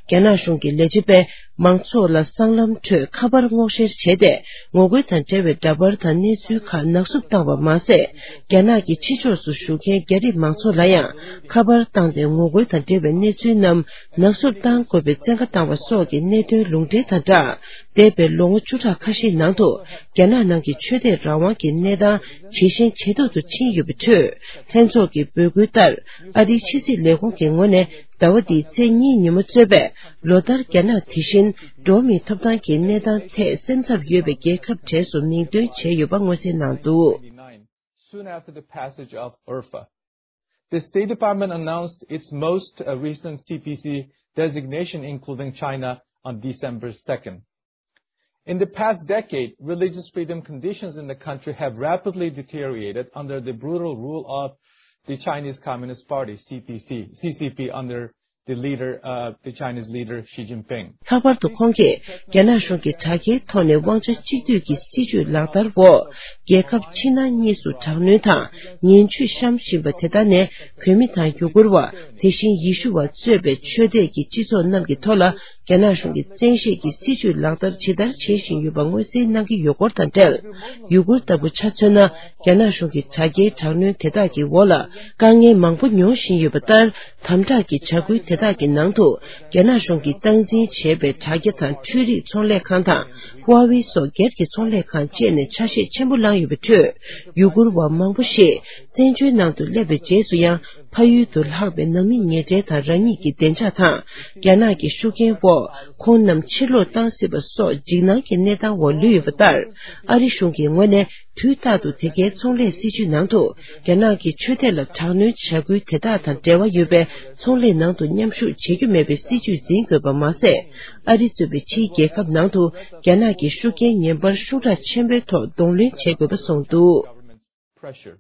རྒྱ་ནག་གཞུང་གི་ལས་བྱེད་པས་མང་ཚོགས་ལ་སྲང་ལམ་ཁྲོད་ཁ་པར་སྔོག་བཤེར་བྱས་ཏེ། ངོ་རྒོལ་དང་འབྲེལ་བའི་འདྲ་པར་དང་གནས་ཚུལ་ཁག་ནག་བསུབ་བཏང་བ་མ་ཟད། རྒྱ་ནག་གི་ཕྱི་ཕྱོགས་སུ་བཞུགས་མཁན་རྒྱ་རིགས་མང་ཚོགས་ལ་ཡང་ཁ་པར་བཏང་སྟེ་ངོ་རྒོལ་དང་འབྲེལ་བའི་གནས་ཚུལ་རྣམས་ནག་བསུབ་བཏང་དགོས་པའི་བཙན་བཀའ་བཏང་བ་སོགས་ཀྱི་གནད་དོན་ལུང་འདྲེན་དང་སྦྲགས། འདས་པའི་ལོ་ངོ་བཅུ་ཕྲག་ཁ་ཤས་ནང་དུ་རྒྱ་ནག་ནང་གི་ཆོས་དད་རང་དབང་གི་གནས་སྟངས་ཇེ་ཞན་ཇེ་སྡུག་ཏུ་ཕྱིན་ཡོད་པའི་ཁྲོད། ལྷན་ཚོགས་ཀྱི་འབོད་སྐུལ་ལྟར། ཨ་རིའི་ཕྱི་སྲིད་ལས་ཁུངས་ཀྱི་ངོས་ནས་ཟླ་བ་འདིའི་ཚེས་གཉིས་ཉིན་མོ་གཙོས་པའི་ལོ་ལྟར་རྒྱ་ནག་དེ་བཞིན་འགྲོ་བ་མིའི་ཐོབ་ཐང་གི་གནས་སྟངས་ཐད་སེམས་འཚབ་ཡོད་པའི་རྒྱལ་ཁབ་གྲས་སུ་མིང་འདོན་བྱས་ཡོད་པ་མངོན་གསལ་གནང་འདུག། Soon after the passage of URFA, the State Department announced its most, uh, recent C P C designation, including China, on December second. In the past decade, religious freedom conditions in the country have rapidly deteriorated under the brutal rule of the Chinese Communist Party, C P C, C C P, under the leader, uh, the Chinese leader Xi Jinping. ལྷག་པར་དུ་ཁོང་གིས་རྒྱ་ནག་གཞུང་གིས་དྲ་རྒྱའི་ཐོག་ནས་དབང་ཆ་གཅིག་སྡུད་ཀྱི་སྲིད་བྱུས་ལག་བསྟར་འོག་རྒྱལ་ཁབ་ཕྱི་ནང་གཉིས་སུ་དྲག་གནོན་དང་ངན་ཇུས་བཤམས་བཞིན་པ་དེ་དག་ནས་བོད་མི་དང་ཡུ་གུར་བ། དེ་བཞིན་ཡེ་ཤུ་བ་གཙོས་པའི་ཆོས་དད་ཀྱི་སྤྱི་ཚོགས་རྣམས་ཀྱི་ཐོག་ལ་རྒྱ་ནག་གཞུང་གིས་བཙན་ཤེད་ཀྱིས་སྲིད་བྱུས་ལག་བསྟར་ཇི་ལྟར་བྱེད་བཞིན་ཡོད་པ་མངོན་གསལ་གནང་གི་ཡོད་སྐོར་དང་འབྲེལ། ཡུ་གུར་ལྟ་བུ་ཆ་མཚོན་ན། རྒྱ་ནག་གཞུང་གི་དྲ་རྒྱའི་དྲག་གནོན་དེ་དག་གི་འོག་ལ་དཀའ་ངལ་མང་པོ་མྱོང་བཞིན་ཡོད་པ་ལྟར། དམ་དྲག་གི་བྱ་འགུལ་དེ་དག་གི་ནང་དུ་རྒྱ་ནག་གཞུང་གིས་སྟངས་འཛིན་བྱས་པའི་དྲ་རྒྱ་དང་འཕྲུལ་རིག་ཚོང་ལས་ཁང་དང་། ཧྭ་ཝེ་སོགས་སྒེར་གྱི་ཚོང་ལས་ཁང་བཅས་ནས་ཆ་ཤས་ཆེན་པོ་བླངས་ཡོད་པའི་ཁྲོད། ཡུ་གུར་བ་མང་པོ་ཞིག་བཙན་བྱོལ་ནང་དུ་སླེབས་པའི་རྗེས་སུ་ཡང་། ཕ་ཡུལ་དུ་ལྷག་པའི་ནང་མི་ཉེ་འབྲེལ་དང་རང་ཉིད་ཀྱི་བདེ་འཇགས་དང་། རྒྱ་ནག་གི་ཤུགས་རྐྱེན་འོག་ཁོང་རྣམས་ཕྱིར་ལོག་བཏང་སྲིད་པ་སོགས་འཇིགས་སྣང་གི་གནས་སྟངས་འོག་ལུས་ཡོད་པ་ལྟར། ཨ་རི་གཞུང་གི་ངོས་ནས་དུས་རྟག་ཏུ་དེ་གའི་ཚོང་ལས་སྲིད་བྱུས་ནང་དུ་རྒྱ་ནག་གི་ཆོས་དད་ལ་དྲག་གནོན་བྱ་འགུལ་དེ་དག་དང་འབྲེལ་བ་ཡོད་པའི་ཚོང་ལས་ནང་དུ་མཉམ་ཞུགས་བྱེད་རྒྱུ་མེད་པའི་སྲིད་བྱུས་འཛིན་དགོས་པ་མ་ཟད། ཨ་རི་གཙོས་པའི་ཕྱིའི་རྒྱལ་ཁབ་ནང་དུ་རྒྱ་ནག་གི་ཤུགས་རྐྱེན་ངན་པར་ཤུགས་དྲག་ཆེན་པོའི་ཐོག་གདོང་ལེན་བྱེད་དགོས་པ་གསུངས་འདུག། Pressure.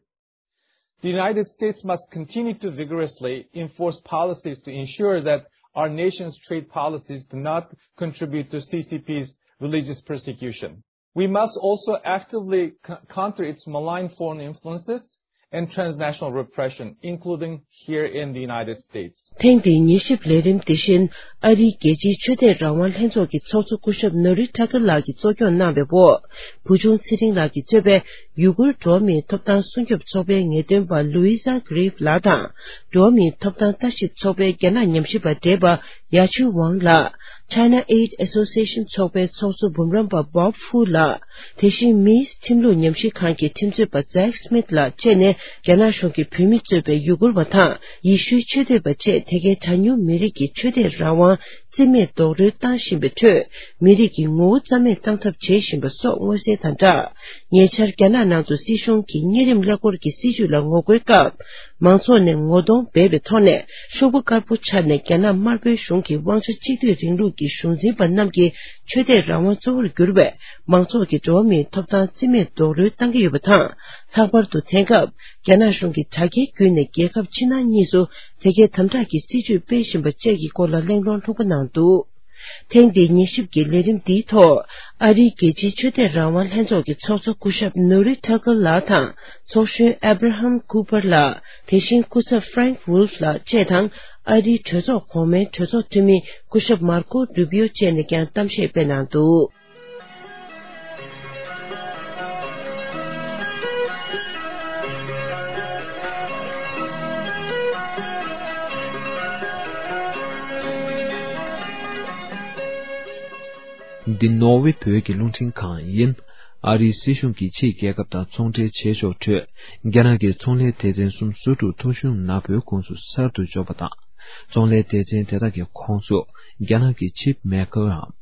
The United States must continue to vigorously enforce policies to ensure that our nation's trade policies do not contribute to C C P's religious persecution. We must also actively co- counter its malign foreign influences and transnational repression, including here in the United States. ཐེངས་འདིའི་ཉན་ཞིབ་ལས་རིམ་དེ་བཞིན་ཨ་རིའི་རྒྱལ་སྤྱིའི་ཆོས་དད་རང་དབང་ལྷན་ཚོགས་ཀྱི་ཚོགས་གཙོ་སྐུ་ཞབས་ནོ་རི་ཊ་ཀར་ལགས་ཀྱིས་གཙོ་སྐྱོང་གནང་བའི་འོག་བུ་ཆུང་ཚེ་རིང་ལགས་ཀྱིས་གཙོས་པའི་ཡུ་གུར་འགྲོ་བ་མིའི་ཐོབ་ཐང་སྲུང་སྐྱོབ་ཚོགས་པའི་ངེས་སྟོན་པ་ལུའི་ཛ་གྷི་རིབ་ལགས་དང་། འགྲོ་བ་མིའི་ཐོབ་ཐང་ལྟ་ཞིབ་ཚོགས་པའི་རྒྱ་ནག་ཉམས་ཞིབ་པ་བགྲེས་པ་ཡ་ཆུ་ཝང་ལགས། China Aid Association ཚོགས་པའི་ཚོགས་གཙོ་འབུམ་རམས་པ་བོབ་ཧྥུ་ལགས། དེ་བཞིན་མིས་ཁྲིམས་ལུགས་ཉམས་ཞིབ་ཁང་གི་ཁྲིམས་རྩོད་པ་ཛེག་སྨིཐ་ལགས་བཅས་ནས་རྒྱ་ནག་གཞུང་གིས་བོད་མི་གཙོས་པའི་ཡུ་གུར་བ་དང་ཡེ་ཤུའི་ཆོས་དད་པ་བཅས་དེ་གའི་གྲངས་ཉུང་མི་རིགས་ཀྱི་ཆོས་དད་རང་དབང་རྩིས་མེད་རྡོག་རོལ་བཏང་བཞིན་པའི་ཁྲོད། མི་རིགས་ཀྱི་ངོ་བོ་རྩ་མེད་བཏང་ཐབས་བྱེད་བཞིན་པ་སོགས་མངོན་གསལ་དང་སྦྲགས། ཉེ་ཆར་རྒྱ་ནག་ནང་དུ་སྲིད་གཞུང་གིས་གཉན་རིམས་ཀླད་ཀོར་གྱི་སྲིད་བྱུས་ལ་ངོ་རྒོལ་སྐབས། མང་ཚོགས་ནས་ངོ་གདོང་སྦས་པའི་ཐོག་ནས་ཤོག་བུ་དཀར་པོ་འཕྱར་ནས་རྒྱ་ནག་དམར་པོའི་གཞུང་གི་དབང་ཆ་གཅིག་སྡུད་རིང་ལུགས་ཀྱི་གཞུང་འཛིན་པ་རྣམས་ཀྱི་ཆོས་དད་རང་དབང་གཙོ་བོར་གྱུར་བའི་མང་ཚོགས་ཀྱི་འགྲོ་བ་མིའི་ཐོབ་ཐང་རྩིས་མེད་རྡོག་རོལ་བཏང་གི་ཡོད་པ་དང་། ལྷག་པར་དུ་དེང་སྐབས་རྒྱ་ནག་གཞུང་གིས་དྲ་རྒྱའི་བརྒྱུད་ནས་རྒྱལ་ཁབ་ཕྱི་ནང་གཉིས་སུ་དེ་གའི་དམ་དྲག་གི་སྲིད་བྱུས་སྤེལ་བཞིན་པ་བཅས་ཀྱི་སྐོར་ལ་གླེང་སློང་ལྷུག་པོ་གནང་འདུག། ཐེངས་འདིའི་ཉན་ཞིབ་ཀྱི་ལས་རིམ་འདིའི་ཐོག་ཨ་རིའི་རྒྱལ་སྤྱིའི་ཆོས་དད་རང་དབང་ལྷན་ཚོགས་ཀྱི་ཚོགས་གཙོ་སྐུ་ཞབས་ནོ་རི་ཊ་ཀར་ལགས་དང་། ཚོགས་གཞོན་ཨེ་བྷ་ར་ཧམ་ཀུ་པར་ལགས། དེ་བཞིན་སྐུ་ཚབ་ཧྥ་རེང་ཝུལ་ཕ་ལགས་བཅས་དང་། ཨ་རིའི་གྲོས་ཚོགས་གོང་མའི་གྲོས་ཚོགས་འཐུས་མི་སྐུ་ཞབས་མར་ཀོ་རུ་པིའོ་བཅས་ནས་ཀྱང་གཏམ་བཤད་སྤེལ་གནང་འདུག། འདི་ནོར་ཝེ་བོད་ཀྱི་རླུང་འཕྲིན་ཁང་ཡིན། ཨ་རིའི་སྲིད་གཞུང་གིས་ཕྱིའི་རྒྱལ་ཁབ་དང་ཚོང་འབྲེལ་བྱེད་ཕྱོགས་ཁྲོད། རྒྱ་ནག་གི་ཚོང་ལས་སྡེ་ཚན་གསུམ་སོ་དྲུག་ཐོ་གཞུང་ནག་པོའི་ཁོངས་སུ་གསར་དུ་འཇོག་པ་དང་། ཚོང་ལས་སྡེ་ཚན་དེ་དག་གི་ཁོངས་སུ་རྒྱ་ནག་གི་ཆིབ་མེ་ཀར་འམ།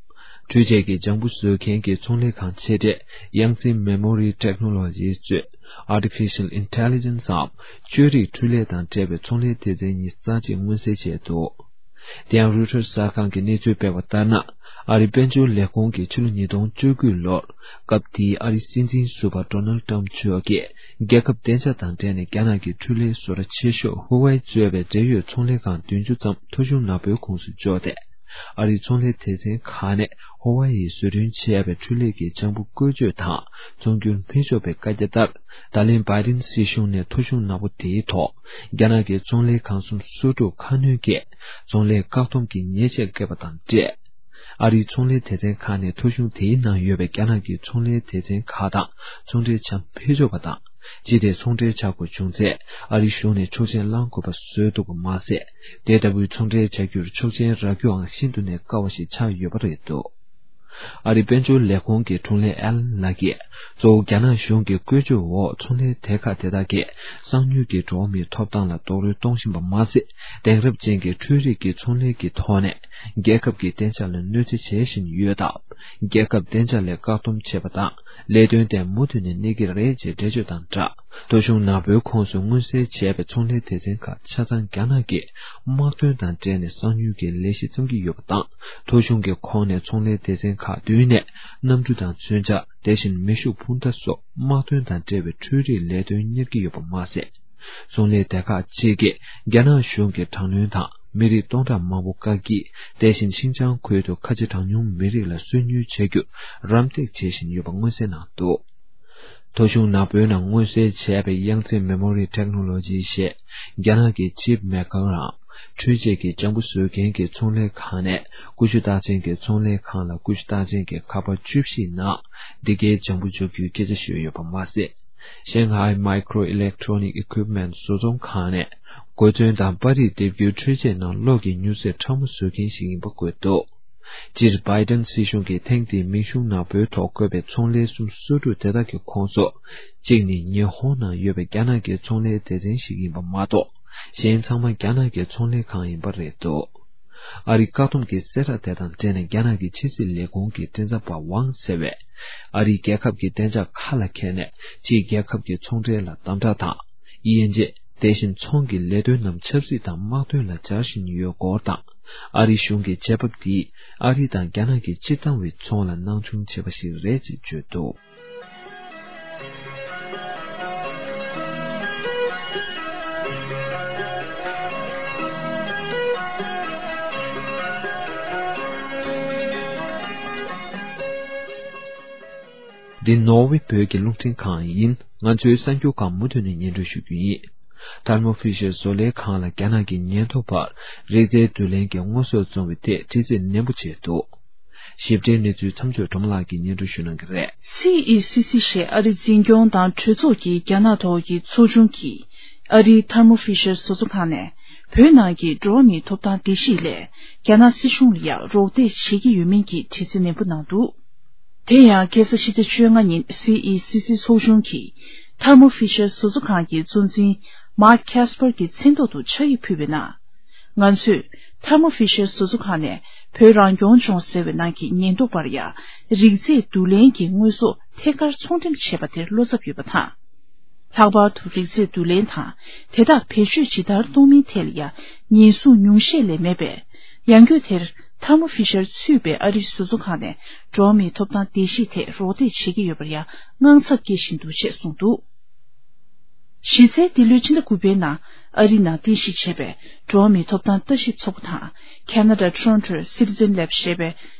འཕྲུལ་ཆས་ཀྱི་ལྗང་བུ་བཟོ་མཁན་གྱི་ཚོང་ལས་ཁང་ཆེ་གྲས་Yangtze Memory Technologies གཙོས་Artificial Intelligence འམ་བཅོས་རིག་འཕྲུལ་ལས་དང་འབྲེལ་བའི་ཚོང་ལས་སྡེ་ཚན་གཉིས་རྩ་ཆེད་མངོན་གསལ་བྱས་འདུག། དེ་ཡང་Reuters གསར་ཁང་གིས་གནས་ཚུལ་སྤེལ་བ་ལྟར་ན། ཨ་རིའི་དཔལ་འབྱོར་ལས་ཁུངས་ཀྱིས་ཕྱི་ལོ་ཉིས་སྟོང་བཅུ་དགུ་ལོར་སྐབས་དེའི་ཨ་རིའི་སྲིད་འཛིན་ཟུར་པ་Donald Trump མཆོག་གིས་རྒྱལ་ཁབ་བདེ་འཇགས་དང་འབྲེལ་ནས་རྒྱ་ནག་གི་འཕྲུལ་ལས་བཟོ་གྲྭ་ཆེ་ཤོས་Huawei གཙོས་པའི་འབྲེལ་ཡོད་ཚོང་ལས་ཁང་བདུན་ཅུ་ཙམ་ཐོ་གཞུང་ནག་པོའི་ཁོངས་སུ་འཇོག་སྟེ། ཨ་རིའི་ཚོང་ལས་སྡེ་ཚན་ཁག་ནས་ཧོ་ཝ་ཡིར་བཟོ་སྐྲུན་བྱས་པའི་འཕྲུལ་ལས་ཀྱི་ལྗང་བུ་བཀོལ་སྤྱོད་དང་ཚོང་སྒྱུར་མི་ཆོག་པའི་བཀའ་རྒྱ་ལྟར། ད་ལན་བྷའི་ཌེན་སྲིད་གཞུང་ནས་ཐོ་གཞུང་ནག་པོ་དེའི་ཐོག་རྒྱ་ནག་གི་ཚོང་ལས་ཁང་གསུམ་སོ་དྲུག་ཁ་སྣོན་གྱིས་ཚོང་ལས་བཀག་སྡོམ་གྱི་ཉེས་ཆད་བཀལ་བ་དང་འབྲེལ། ཨ་རིའི་ཚོང་ལས་སྡེ་ཚན་ཁག་ནས་ཐོ་གཞུང་དེའི་ནང་ཡོད་པའི་རྒྱ་ནག་གི་ཚོང་ལས་སྡེ་ཚན་ཁག་དང་ཚོང་འབྲེལ་བྱ་མི་ཆོག་པ་དང་། ཅི་སྟེ་ཚོང་འབྲེལ་བྱ་དགོས་བྱུང་ཚེ་ཨ་རིའི་གཞུང་ནས་ཆོག་མཆན་བླང་དགོས་པ་བཟོས་འདུག་པ་མ་ཟད། དེ་ལྟ་བུའི་ཚོང་འབྲེལ་བྱ་རྒྱུར་ཆོག་མཆན་རག་རྒྱུའང་ཤིན་ཏུ་ནས་དཀའ་བ་ཞིག་ཆགས་ཡོད་པ་རེད་འདུག་ཨ་རིའི་དཔལ་འབྱོར་ལས་ཁུངས་ཀྱི་དྲུང་ལས་ཨེ་ལན་ལགས་ཀྱིས། གཙོ་བོ་རྒྱ་ནག་གཞུང་གི་བཀོལ་སྤྱོད་འོག་ཚོང་ལས་སྡེ་ཁག་དེ་དག་གིས་གསང་མྱུལ་གྱིས་འགྲོ་བ་མིའི་ཐོབ་ཐང་ལ་རྡོག་རོལ་གཏོང་བཞིན་པ་མ་ཟད། དེང་རབས་ཅན་གྱི་འཕྲུལ་རིག་གི་ཚོང་ལས་ཀྱི་ཐོག་ནས་རྒྱལ་ཁབ་ཀྱི་བདེ་འཇགས་ལ་གནོད་འཚེ་བྱེད་བཞིན་ཡོད་སྟབས། རྒྱལ་ཁབ་བདེ་འཇགས་ལ་བཀག་སྡོམ་བྱེད་པ་དང་། ལས་དོན་དེ་མུ་མཐུད་ནས་གནས་ཀྱི་རེད་ཅེས་འགྲེལ་བརྗོད་དང་སྦྲགས། ཐོ་གཞུང་ནག་པོའི་ཁོངས་སུ་མངོན་གསལ་བྱས་པའི་ཚོང་ལས་སྡེ་ཚན་ཁག་ཆ་ཚང་རྒྱ་ནག་གིས་དམག་དོན་དང་འབྲེལ་ནས་གསང་མྱུལ་གྱི་ལས་གཞི་བརྩམས་ཀྱི་ཡོད་པ་དང་། ཐོ་གཞུང་གི་ཁོངས་ནས་ཚོང་ལས་སྡེ་ཚན་ཁག་བདུན་ནས་གནམ་གྲུ་དང་མཚོན་ཆ། དེ་བཞིན་མེ་ཤུགས་འཕུར་མདའ་སོགས་དམག་དོན་དང་འབྲེལ་བའི་འཕྲུལ་རིག་ལས་དོན་གཉེར་གྱི་ཡོད་པ་མ་ཟད། ཚོང་ལས་སྡེ་ཁག་ཅིག་གིས་རྒྱ་ནག་གཞུང་གི་དྲག་གནོན་དང་། མི་རིགས་སྟོང་ཕྲག་མང་པོ་བཀག་སྐྱིལ། དེ་བཞིན་ཤིན་ཅང་ཁུལ་དུ་ཁ་ཆེ་གྲངས་ཉུང་མི་རིགས་ལ་སོ་ཉུལ་བྱ་རྒྱུར་རམ་འདེགས་བྱེད་བཞིན་ཡོད་པ་མངོན་གསལ་གནང་འདུག་ཐོ་གཞུང་ནག་པོའི་ནང་མངོན་གསལ་བྱས་པའི་Yangtze Memory Technology ཞེས་རྒྱ་ནག་གི་ཅིབ་མེ་ཀར་འམ་འཕྲུལ་ཆས་ཀྱི་ལྗང་བུ་བཟོ་མཁན་གྱི་ཚོང་ལས་ཁང་ནས་ཀུ་ཤུ་རྟགས་ཅན་གྱི་ཚོང་ལས་ཁང་ལ་ཀུ་ཤུ་རྟགས་ཅན་གྱི་ཁ་པར་བཅུ་བཞི་ནང་འདི་གའི་ལྗང་བུ་འཇོག་རྒྱུའི་སྐད་ཆ་ཤོད་ཡོད་པ་མ་ཟད། Shanghai Micro Electronic Equipment བཟོ་ཚོང་ཁང་ནས་གོ་མཚོན་དང་པར་རིས་འདེབས་རྒྱུའི་འཕྲུལ་ཆས་ནང་གློག་གི་མྱུར་ཚད་ཕྲ་མོ་བཟོ་མཁན་ཞིག་ཡིན་པ་འགོད་འདུག་སྤྱིར་བྷའི་ཏན་སྲིད་གཞུང་གིས་ཐེངས་འདིའི་མིང་གཞུང་ནག་པོའི་ཐོག་བཀོད་པའི་ཚོང་ལས་གསུམ་སོ་དྲུག་དེ་དག་གི་ཁོངས་སུ། གཅིག་ནི་ཉི་ཧོང་ནང་ཡོད་པའི་རྒྱ་ནག་གི་ཚོང་ལས་སྡེ་ཚན་ཞིག་ཡིན་པ་མ་གཏོགས། གཞན་ཚང་མ་རྒྱ་ནག་གི་ཚོང་ལས་ཁང་ཡིན་པ་རེད་འདུག་ཨ་རིའི་བཀག་སྡོམ་གྱི་གསལ་བསྒྲགས་དེ་དང་འབྲེལ་ནས་རྒྱ་ནག་གི་ཕྱི་སྲིད་ལས་ཁུངས་ཀྱི་མགྲིན་ཚབ་པ་ཝང་ཟེར་བས། ཨ་རིས་རྒྱལ་ཁབ་ཀྱི་བདེ་འཇགས་ཁ་ལ་འཁྱེར་ནས་ཕྱིའི་རྒྱལ་ཁབ་ཀྱི་ཚོང་འབྲེལ་ལ་དམ་དྲག་དང་། དབྱེ་འབྱེད། དེ་བཞིན་ཚོང་གི་ལས་དོན་རྣམས་ཆབ་སྲིད་དང་དམག་དོན་ལ་སྦྱར་བཞིན་ཡོད་སྐོར་དང་། ཨ་རིའི་གཞུང་གི་བྱེད་བབ་འདིས་ཨ་རི་དང་རྒྱ་ནག་གི་སྤྱིར་བཏང་བའི་ཚོང་ལ་སྣང་ཆུང་བྱས་པ་ཞིག་རེད་ཅེས་བརྗོད་འདུག་འདི་ནོར་ཝེ་བོད་ཀྱི་རླུང་འཕྲིན་ཁང་ཡིན། ང་ཚོའི་གསར་འགྱུར་ཁག་མུ་མཐུད་ནས་སྙན་སྒྲོན་ཞུ་རྒྱུ་ཡིན། Thermo Fisher བཟོ་ལས་ཁང་ལ་རྒྱ་ནག་གིས་ཉེན་རྟོག་པར་རིག་རྩལ་བསྡུ་ལེན་གྱི་དངོས་ཟོག་བཙོང་བའི་ཐད་དྲི་རྩད་ནན་པོ་བྱས་འདུག་ཞིབ་ཕྲའི་གནས་ཚུལ་མཚམས་ཚོད་སྒྲོལ་མ་ལགས་ཀྱིས་སྙན་སྒྲོན་ཞུ་གནང་གི་རེད། སི་ཨི་སི་སི་ཞེས་ཨ་རིའི་འཛིན་སྐྱོང་དང་གྲོས་ཚོགས་ཀྱི་རྒྱ་ནག་ཐོག་གི་ཚོགས་ཆུང་གིས་ཨ་རིའི་Thermo Fisher བཟོ་ཚོང་ཁང་ནས་བོད་ནང་གི་འགྲོ་བ་མིའི་ཐོབ་ཐང་བརྡལ་བཤིག་ལས་རྒྱ་ནག་སྲིད་གཞུང་ལ་ཡང་རོགས་འདེགས་བྱེད་ཀྱི་ཡོད་མིན་གྱི་དྲི་རྩད་ནན་པོ་གནང་འདུག་དེ་ཡང་ཁ་སང་ཕྱི་ཚེས་བཅོ་ལྔ་ཉིན་སི་ཨི་སི་སི་ཚོགས་ཆུང་གིས་Thermo Fisher བཟོ་ཚོང་ཁང་གི་གཙོ་འཛིན་Mark Casper གྱི་མཚན་ཐོག་ཏུ་ཕྱག་ཡིག་ཕུལ་བའི་ནང་། ང་ཚོས་Thermo Fisher བཟོ་ཚོང་ཁང་ནས་བོད་རང་སྐྱོང་ལྗོངས་ཟེར་བའི་ནང་གི་ཉེན་རྟོག་པར་ཡང་རིག་རྩལ་བསྡུ་ལེན་གྱི་དངོས་ཟོག་ཐད་ཀར་ཚོང་འགྲེམས་བྱས་པ་དེར་བློ་འཚབ་ཡོད་པ་དང་། ལྷག་པར་དུ་རིག་རྩལ་བསྡུ་ལེན་དང་དེ་དག་བེད་སྤྱོད་ཇི་ལྟར་གཏོང་མིན་ཐད་ལ་ཡང་ཉེན་སྲུང་ཉུང་ཤས་ལས་མེད་པས། ཡང་སྒོས་དེར་Thermo Fisher ཚུད་པའི་ཨ་རིའི་བཟོ་ཚོང་ཁང་ནས་འགྲོ་བ་མིའི་ཐོབ་ཐང་བརྡལ་བཤིག་ཐད་རོགས་འདེགས་བྱེད་ཀྱི་ཡོད་པར་ཡང་དངངས་འཚབ་སྐྱེ་བཞིན་འདུག་ཅེས་གསུངས་འདུག་གཞི་རྩའི་འདི་ལོའི་ཕྱི་ཟླ་དགུ་པའི་ནང་ཨ་རི་ནང་རྟེན་གཞི་བྱས་པའི་འགྲོ་བ་མིའི་ཐོབ་ཐང་ལྟ་ཞིབ་ཚོགས་པ་དང་ཁེ་ན་ཌ་Toronto Citizen Lab ཞེས་པའི་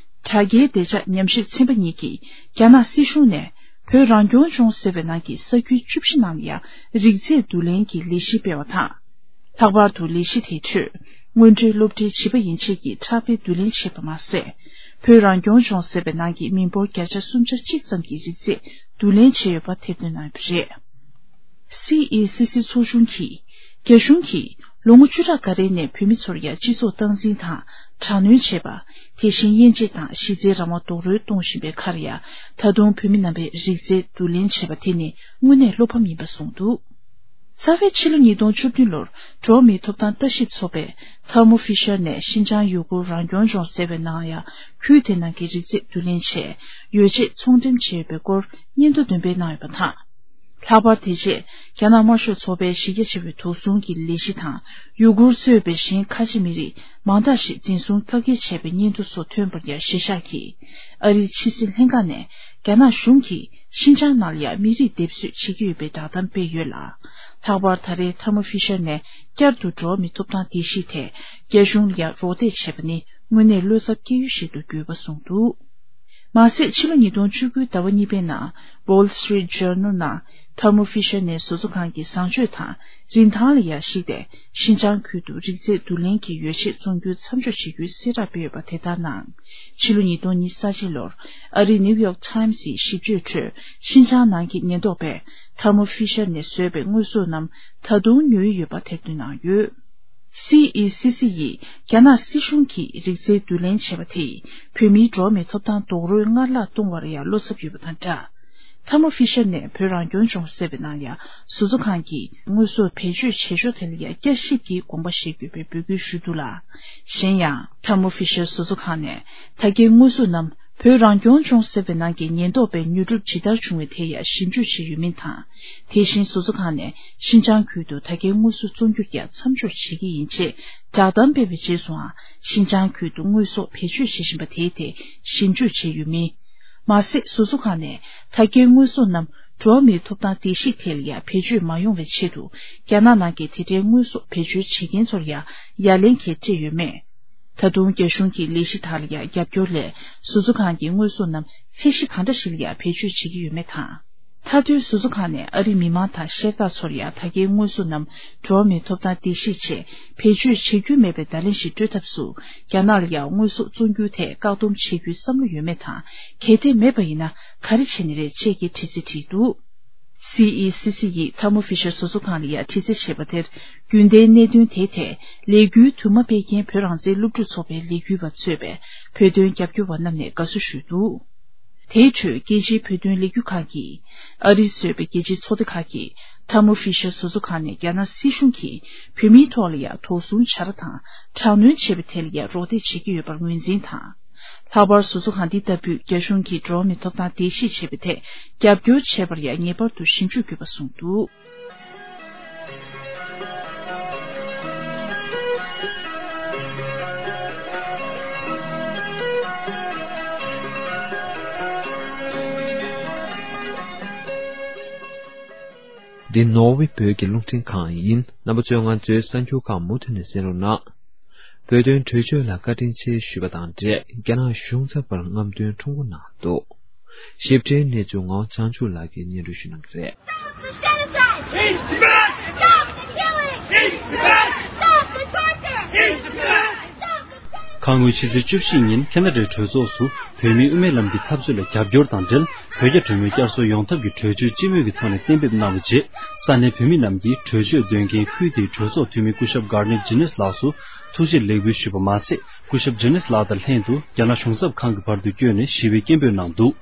དྲ་རྒྱའི་བདེ་འཇགས་ཉམས་ཞིབ་ཚན་པ་གཉིས་ཀྱིས་རྒྱ་ནག་སྲིད་གཞུང་ནས་བོད་རང་སྐྱོང་ལྗོངས་ཟེར་བའི་ནང་གི་ས་ཁུལ་བཅུ་བཞི་ནང་ལ་ཡང་རིག་རྩལ་བསྡུ་ལེན་གྱི་ལས་གཞི་སྤེལ་བ་དང་། ལྷག་པར་དུ་ལས་གཞི་དེའི་ཁྲོད་སྔོན་འགྲོའི་སློབ་གྲྭའི་བྱིས་པ་ཡན་ཆད་ཀྱི་ཕྲག་དཔེ་བསྡུ་ལེན་བྱས་པ་མ་ཟད། བོད་རང་སྐྱོང་ལྗོངས་ཟེར་བའི་ནང་གི་མི་འབོར་བརྒྱ་ཆ་སུམ་ཅུ་སོ་གཅིག་ཙམ་གྱི་རིག་རྩལ་བསྡུ་ལེན་བྱས་ཡོད་པ་ཐེར་འདོན་གནང་ཡོད་པ་རེད། སི་ཨི་སི་སི་ཚོགས་ཆུང་གིས་རྒྱ་གཞུང་གིས་ལོ་ངོ་བཅུ་ཕྲག་འགའ་རེའི་ནས་བོད་མི་ཚོར་ཡང་སྤྱི་ཚོགས་སྟངས་འཛིན་དང་དྲག་གནོན་བྱས་པ། དེ་བཞིན་དབྱེ་འབྱེད་དང་གཞི་རྩའི་རང་དབང་རྡོག་རོལ་གཏོང་བཞིན་པའི་ཁར་ཡང་ད་དུང་བོད་མི་རྣམ་པས་རིག་རྩལ་བསྡུ་ལེན་བྱས་པ་དེ་ནི་དངོས་གནས་བློ་ཕམ་ཡིན་པ་གསུངས་འདུག་རྩ་བའི་ཕྱི་ལོ་ཉིས་སྟོང་བཅུ་བདུན་ལོར་འགྲོ་བ་མིའི་ཐོབ་ཐང་ལྟ་ཞིབ་ཚོགས་པས་Thermo Fisher ནས་ཤིན་ཅང་ཡུ་གུར་རང་སྐྱོང་ལྗོངས་ཟེར་བའི་ནང་ཡང་ཁུལ་དེ་ནང་གི་རིག་རྩལ་བསྡུ་ལེན་བྱས་ཡོ་བྱད་ཚོང་འགྲེམས་བྱས་ཡོད་པའི་སྐོར་སྙན་ཐོ་འདོན་སྤེལ་གནང་ཡོད་པ་དང་། ལྷག་པར་དེ་རྗེས་རྒྱ་ནག་དམར་ཤོག་ཚོགས་པའི་གཞི་རྒྱ་ཆེ་བའི་དོགས་ཟོན་གྱི་ལས་གཞི་དང་ཡུ་གུར་གཙོས་པའི་གཞན་ཁ་ཆེ་མི་རིགས་མང་དག་ཞིག་འཛིན་བཟུང་བཀག་སྐྱིལ་བྱས་པའི་སྙན་ཐོ་སོགས་ཐོན་པར་ཡང་གཞིར་བཞག་གིས་ཨ་རིའི་ཕྱི་སྲིད་ལྷན་ཁང་ནས་རྒྱ་ནག་གཞུང་གིས་ཤིན་ཅང་ནང་ལ་ཡང་མི་རིགས་སྡེབ་གསོད་བྱེད་ཀྱི་ཡོད་པའི་བསྒྲགས་གཏམ་སྤེལ་ཡོད་ལ། ལྷག་པར་ད་རེས་Thermo Fisher ནས་བསྐྱར་དུ་འགྲོ་བ་མིའི་ཐོབ་ཐང་བརྡལ་བཤིག་ཐད་རྒྱ་གཞུང་ལ་ཡང་རོགས་འདེགས་བྱས་པ་ནི། དངོས་གནས་བློ་འཚབ་སྐྱེ་ཡུལ་ཞིག་ཏུ་གྱུར་པ་གསུངས་འདུག། མ་ཟད། ཕྱི་ལོ་ཉིས་སྟོང་བཅུ་དགུ་ཟླ་བ་གཉིས་པའི་ནང་Wall Street Journal ནང་Thermo Fisher ནས་བཟོ་ཚོགས་ཁང་གི་བཟང་སྤྱོད་དང་རིན་ཐང་ལ་ཡང་གཞིགས་ཏེ། ཤིན་ཅང་ཁུལ་དུ་རིགས་རྫས་བསྡུ་ལེན་གྱི་ཡོ་བྱད་བཙོང་རྒྱུ་མཚམས་འཇོག་བྱེད་རྒྱུའི་གསལ་བསྒྲགས་སྤེལ་ཡོད་པ་དེ་དག་ནང་། ཕྱི་ལོ་ཉིས་སྟོང་ཉི་ཤུ་རྩ་གཅིག་ལོར་ཨ་རིའི་New York Times ཡི་ཞིབ་དཔྱོད་ཁྲོད། ཤིན་ཅང་ནང་གི་ཉེན་རྟོག་པས་Thermo Fisher ནས་བཟོས་པའི་དངོས་ཟོག་རྣམས་ད་དུང་ཉོ་ཡི་ཡོད་པ་དེར་བསྟུན་གནང་ཡོད། སི་ཨི་སི་སི་ཡིས་རྒྱ་ནག་སྲིད་གཞུང་གིས་རིགས་རྫས་བསྡུ་ལེན་བྱས་པ་དེས་བོད་མིའི་འགྲོ་བ་མིའི་ཐོབ་ཐང་རྡོག་རོལ་སྔར་ལྷག་གཏོང་བར་ཡང་བློ་འཚབ་ཡོད་པ་དང་སྦྲགས། Thermo Fisher ནས་བོད་རང་སྐྱོང་ལྗོངས་ཟེར་བའི་ནང་ཡང་བཟོ་ཚོགས་ཁང་གིས་དངོས་ཟོག་བེད་སྤྱོད་བྱེད་ཕྱོགས་དེ་ལ་ཡང་བསྐྱར་ཞིབ་ཀྱི་དགོངས་པ་བཞེས་དགོས་པའི་འབོད་སྐུལ་ཞུས་འདུག་ལ། གཞན་ཡང་། Thermo Fisher བཟོ་ཚོགས་ཁང་ནས་ད་གའི་དངོས་ཟོག་རྣམས་བོད་རང་སྐྱོང་ལྗོངས་ཟེར་བའི་ནང་གི་ཉེན་རྟོག་པས་ཉོ་སྒྲུབ་ཇི་ལྟར་བྱུང་བའི་ཐད་ཡང་ཞིབ་འཇུག་བྱས་ཡོད་མིན་དང་། དེ་བཞིན་བཟོ་ཚོགས་ཁང་ནས་ཤིན་ཅང་ཁུལ་དུ་ད་གའི་དངོས་ཟོག་བཙོང་རྒྱུར་ཡང་མཚམས་འཇོག་བྱེད་ཀྱི་ཡིན་ཅེས་བསྒྲགས་གཏམ་སྤེལ་བའི་རྗེས་སུའང་ཤིན་ཅང་ཁུལ་དུ་དངོས་ཟོག་བེད་སྤྱོད་བྱེད་བཞིན་པ་དེའི་ཐད་ཞིབ་འཇུག་བྱས་ཡོད་མིན། མ་ཟད། བཟོ་ཚོགས་ཁང་ནས་ད་གའི་དངོས་ཟོག་རྣམས་འགྲོ་བ་མིའི་ཐོབ་ཐང་བརྡལ་བཤིག་ཐད་ལ་ཡང་བེད་སྤྱོད་མ་ཡོང་བའི་ཆེད་དུ་རྒྱ་ནག་ནང་གི་དེ་འདྲའི་དངོས་ཟོག་བེད་སྤྱོད་བྱེད་མཁན་ཚོར་ཡང་ཡ་ལན་གྱིས་སྤྲད་ཡོད་མེད། ད་དུང་རྒྱ་གཞུང་གི་ལས་གཞི་དག་ལ་ཡང་རྒྱབ་སྐྱོར་སླད་བཟོ་ཚོགས་ཁང་གི་དངོས་ཟོག་རྣམས་ཚད་གཞི་གང་འདྲ་ཞིག་ལ་ཡང་བེད་སྤྱོད་བྱེད་ཀྱི་ཡོད་མེད་དང་། མཐའ་དོན་བཟོ་ཚོགས་ཁང་ནས་ཨ་རིའི་མི་མང་དང་ཤེས་རྟག་ཚོར་ཡང་ད་གའི་དངོས་ཟོག་རྣམས་འགྲོ་བ་མིའི་ཐོབ་ཐང་བརྡལ་བཤིག་ཆེད་བེད་སྤྱོད་བྱེད་རྒྱུ་མེད་པའི་བརྡ་ལན་ཞིག་སྤྲོད་ཐབས་སུ་རྒྱ་ནག་ལ་ཡང་དངོས་ཟོག་བཙོང་རྒྱུའི་ཐད་བཀག་སྡོམ་བྱེད་རྒྱུའི་བསམ་བློ་ཡོད་མེད་དང་། གལ་ཏེ་མེད་པ་ཡིན་ན་ག་རེ་བྱས་ནི་རེད་ཅེས་ཀྱི་དྲི་ཚིག་དྲིས་འདུག། སི་ཨི་སི་སི་ཡིས་Thermo Fisher བཟོ་ཚོགས་ཁང་ལ་ཡང་དྲི་རྩད་བྱས་པ་དེར། རྒྱུན་ལྡན་གནད་དོན་དེའི་ཐད་ལས་འགུལ་དུ་མ་སྤེལ་མཁན་བོད་རང་བཙན་སློབ་ཕྲུག་ཚོགས་པའི་ལས་འགུལ་བ་གཙོས་པའི་བོད་དོན་རྒྱབ་སྐྱོར་བ་རྣམས་ནས་དགའ་བསུ་ཞུས་འདུག། དེའི་ཁྲོད་རྒྱལ་སྤྱིའི་བོད་དོན་ལས་འགུལ་ཁང་གིས། ཨ་རིས་བཟོས་པའི་རྒྱལ་སྤྱིའི་ཚོགས་སྡེ་ཁག་གིས་Thermo Fisher བཟོ་ཚོགས་ཁང་ནས་རྒྱ་ནག་སྲིད་གཞུང་གིས་བོད་མིའི་ཐོག་ལ་ཡང་དོགས་ཟོན་བྱ་ར་དང་དྲག་གནོན་བྱས་པའི་ཐད་ལ་ཡང་རོགས་འདེགས་བྱེད་ཀྱི་ཡོད་པར་ངོས་འཛིན་དང་། ལྷག་པར་བཟོ་ཚོགས་ཁང་འདི་ལྟ་བུས་རྒྱ་གཞུང་གིས་འགྲོ་བ་མིའི་ཐོབ་ཐང་བརྡལ་བཤིག་བྱས་པའི་ཐད་རྒྱབ་སྐྱོར་བྱས་པར་ཡང་ངེས་པར་དུ་ཞིབ་འཇུག་དགོས་པ་གསུངས་འདུག། འདི་ནོར་ཝེ་བོད་ཀྱི་རླུང་འཕྲིན་ཁང་ཡིན། རྣམ་པ་ཚོས་ང་ཚོའི་གསར་འགྱུར་ཁག་མུ་མཐུད་ནས་གསན་རོགས་གནང་། བོད་དོན་གྲོས་ཆོད་ལ་བཀའ་དྲིན་ཆེ་ཞུས་པ་དང་འབྲེལ། རྒྱ་ནག་གཞུང་ཚབ་པར་རྔམ་སྟོན་ཁྲོམ་སྐོར་གནང་འདུག། ཞིབ་ཕྲའི་གནས་ཚུལ་ངག་དབང་བྱང་ཆུབ་ལགས་ཀྱིས་སྙན་སྒྲོན་ཞུ་གནང་གི་རེད། Stop the genocide! It's back! Stop the killing! It's back! Stop the torture! It's back! Stop the torture! ཁ་སྔོན་ཕྱི་ཚེས་བཅུ་བཞི་ཉིན་ཁེ་ན་ཌའི་གྲོས་ཚོགས་སུ་བོད་མིའི་དབུ་མའི་ལམ་གྱི་འཐབ་རྩོད་ལ་རྒྱབ་སྐྱོར་དང་འབྲེལ། བོད་རྒྱ་གྲོས་མོལ་བསྐྱར་གསོ་ཡོང་ཐབས་ཀྱི་གྲོས་ཆོད་སྤྱི་མོས་ཀྱི་ཐོག་ནས་གཏན་འབེབས་གནང་བའི་རྗེས། ས་གནས་བོད་མི་རྣམས་ཀྱིས་གྲོས་ཆོད་འདོན་མཁན་ཁུལ་དེའི་གྲོས་ཚོགས་འཐུས་མི་སྐུ་ཞབས་Garnett Jennings ལགས་སུ་ཐུགས་རྗེ་ལེགས་འབུལ་ཞུས་པ་མ་ཟད། སྐུ་ཞབས་Jennings ལགས་དང་ལྷན་དུ་རྒྱ་ནག་གཞུང་ཚབ་ཁང་གི་བར་དུ་བསྐྱོད་ནས་ཞི་བའི་སྐད་འབོད་གནང་འདུག།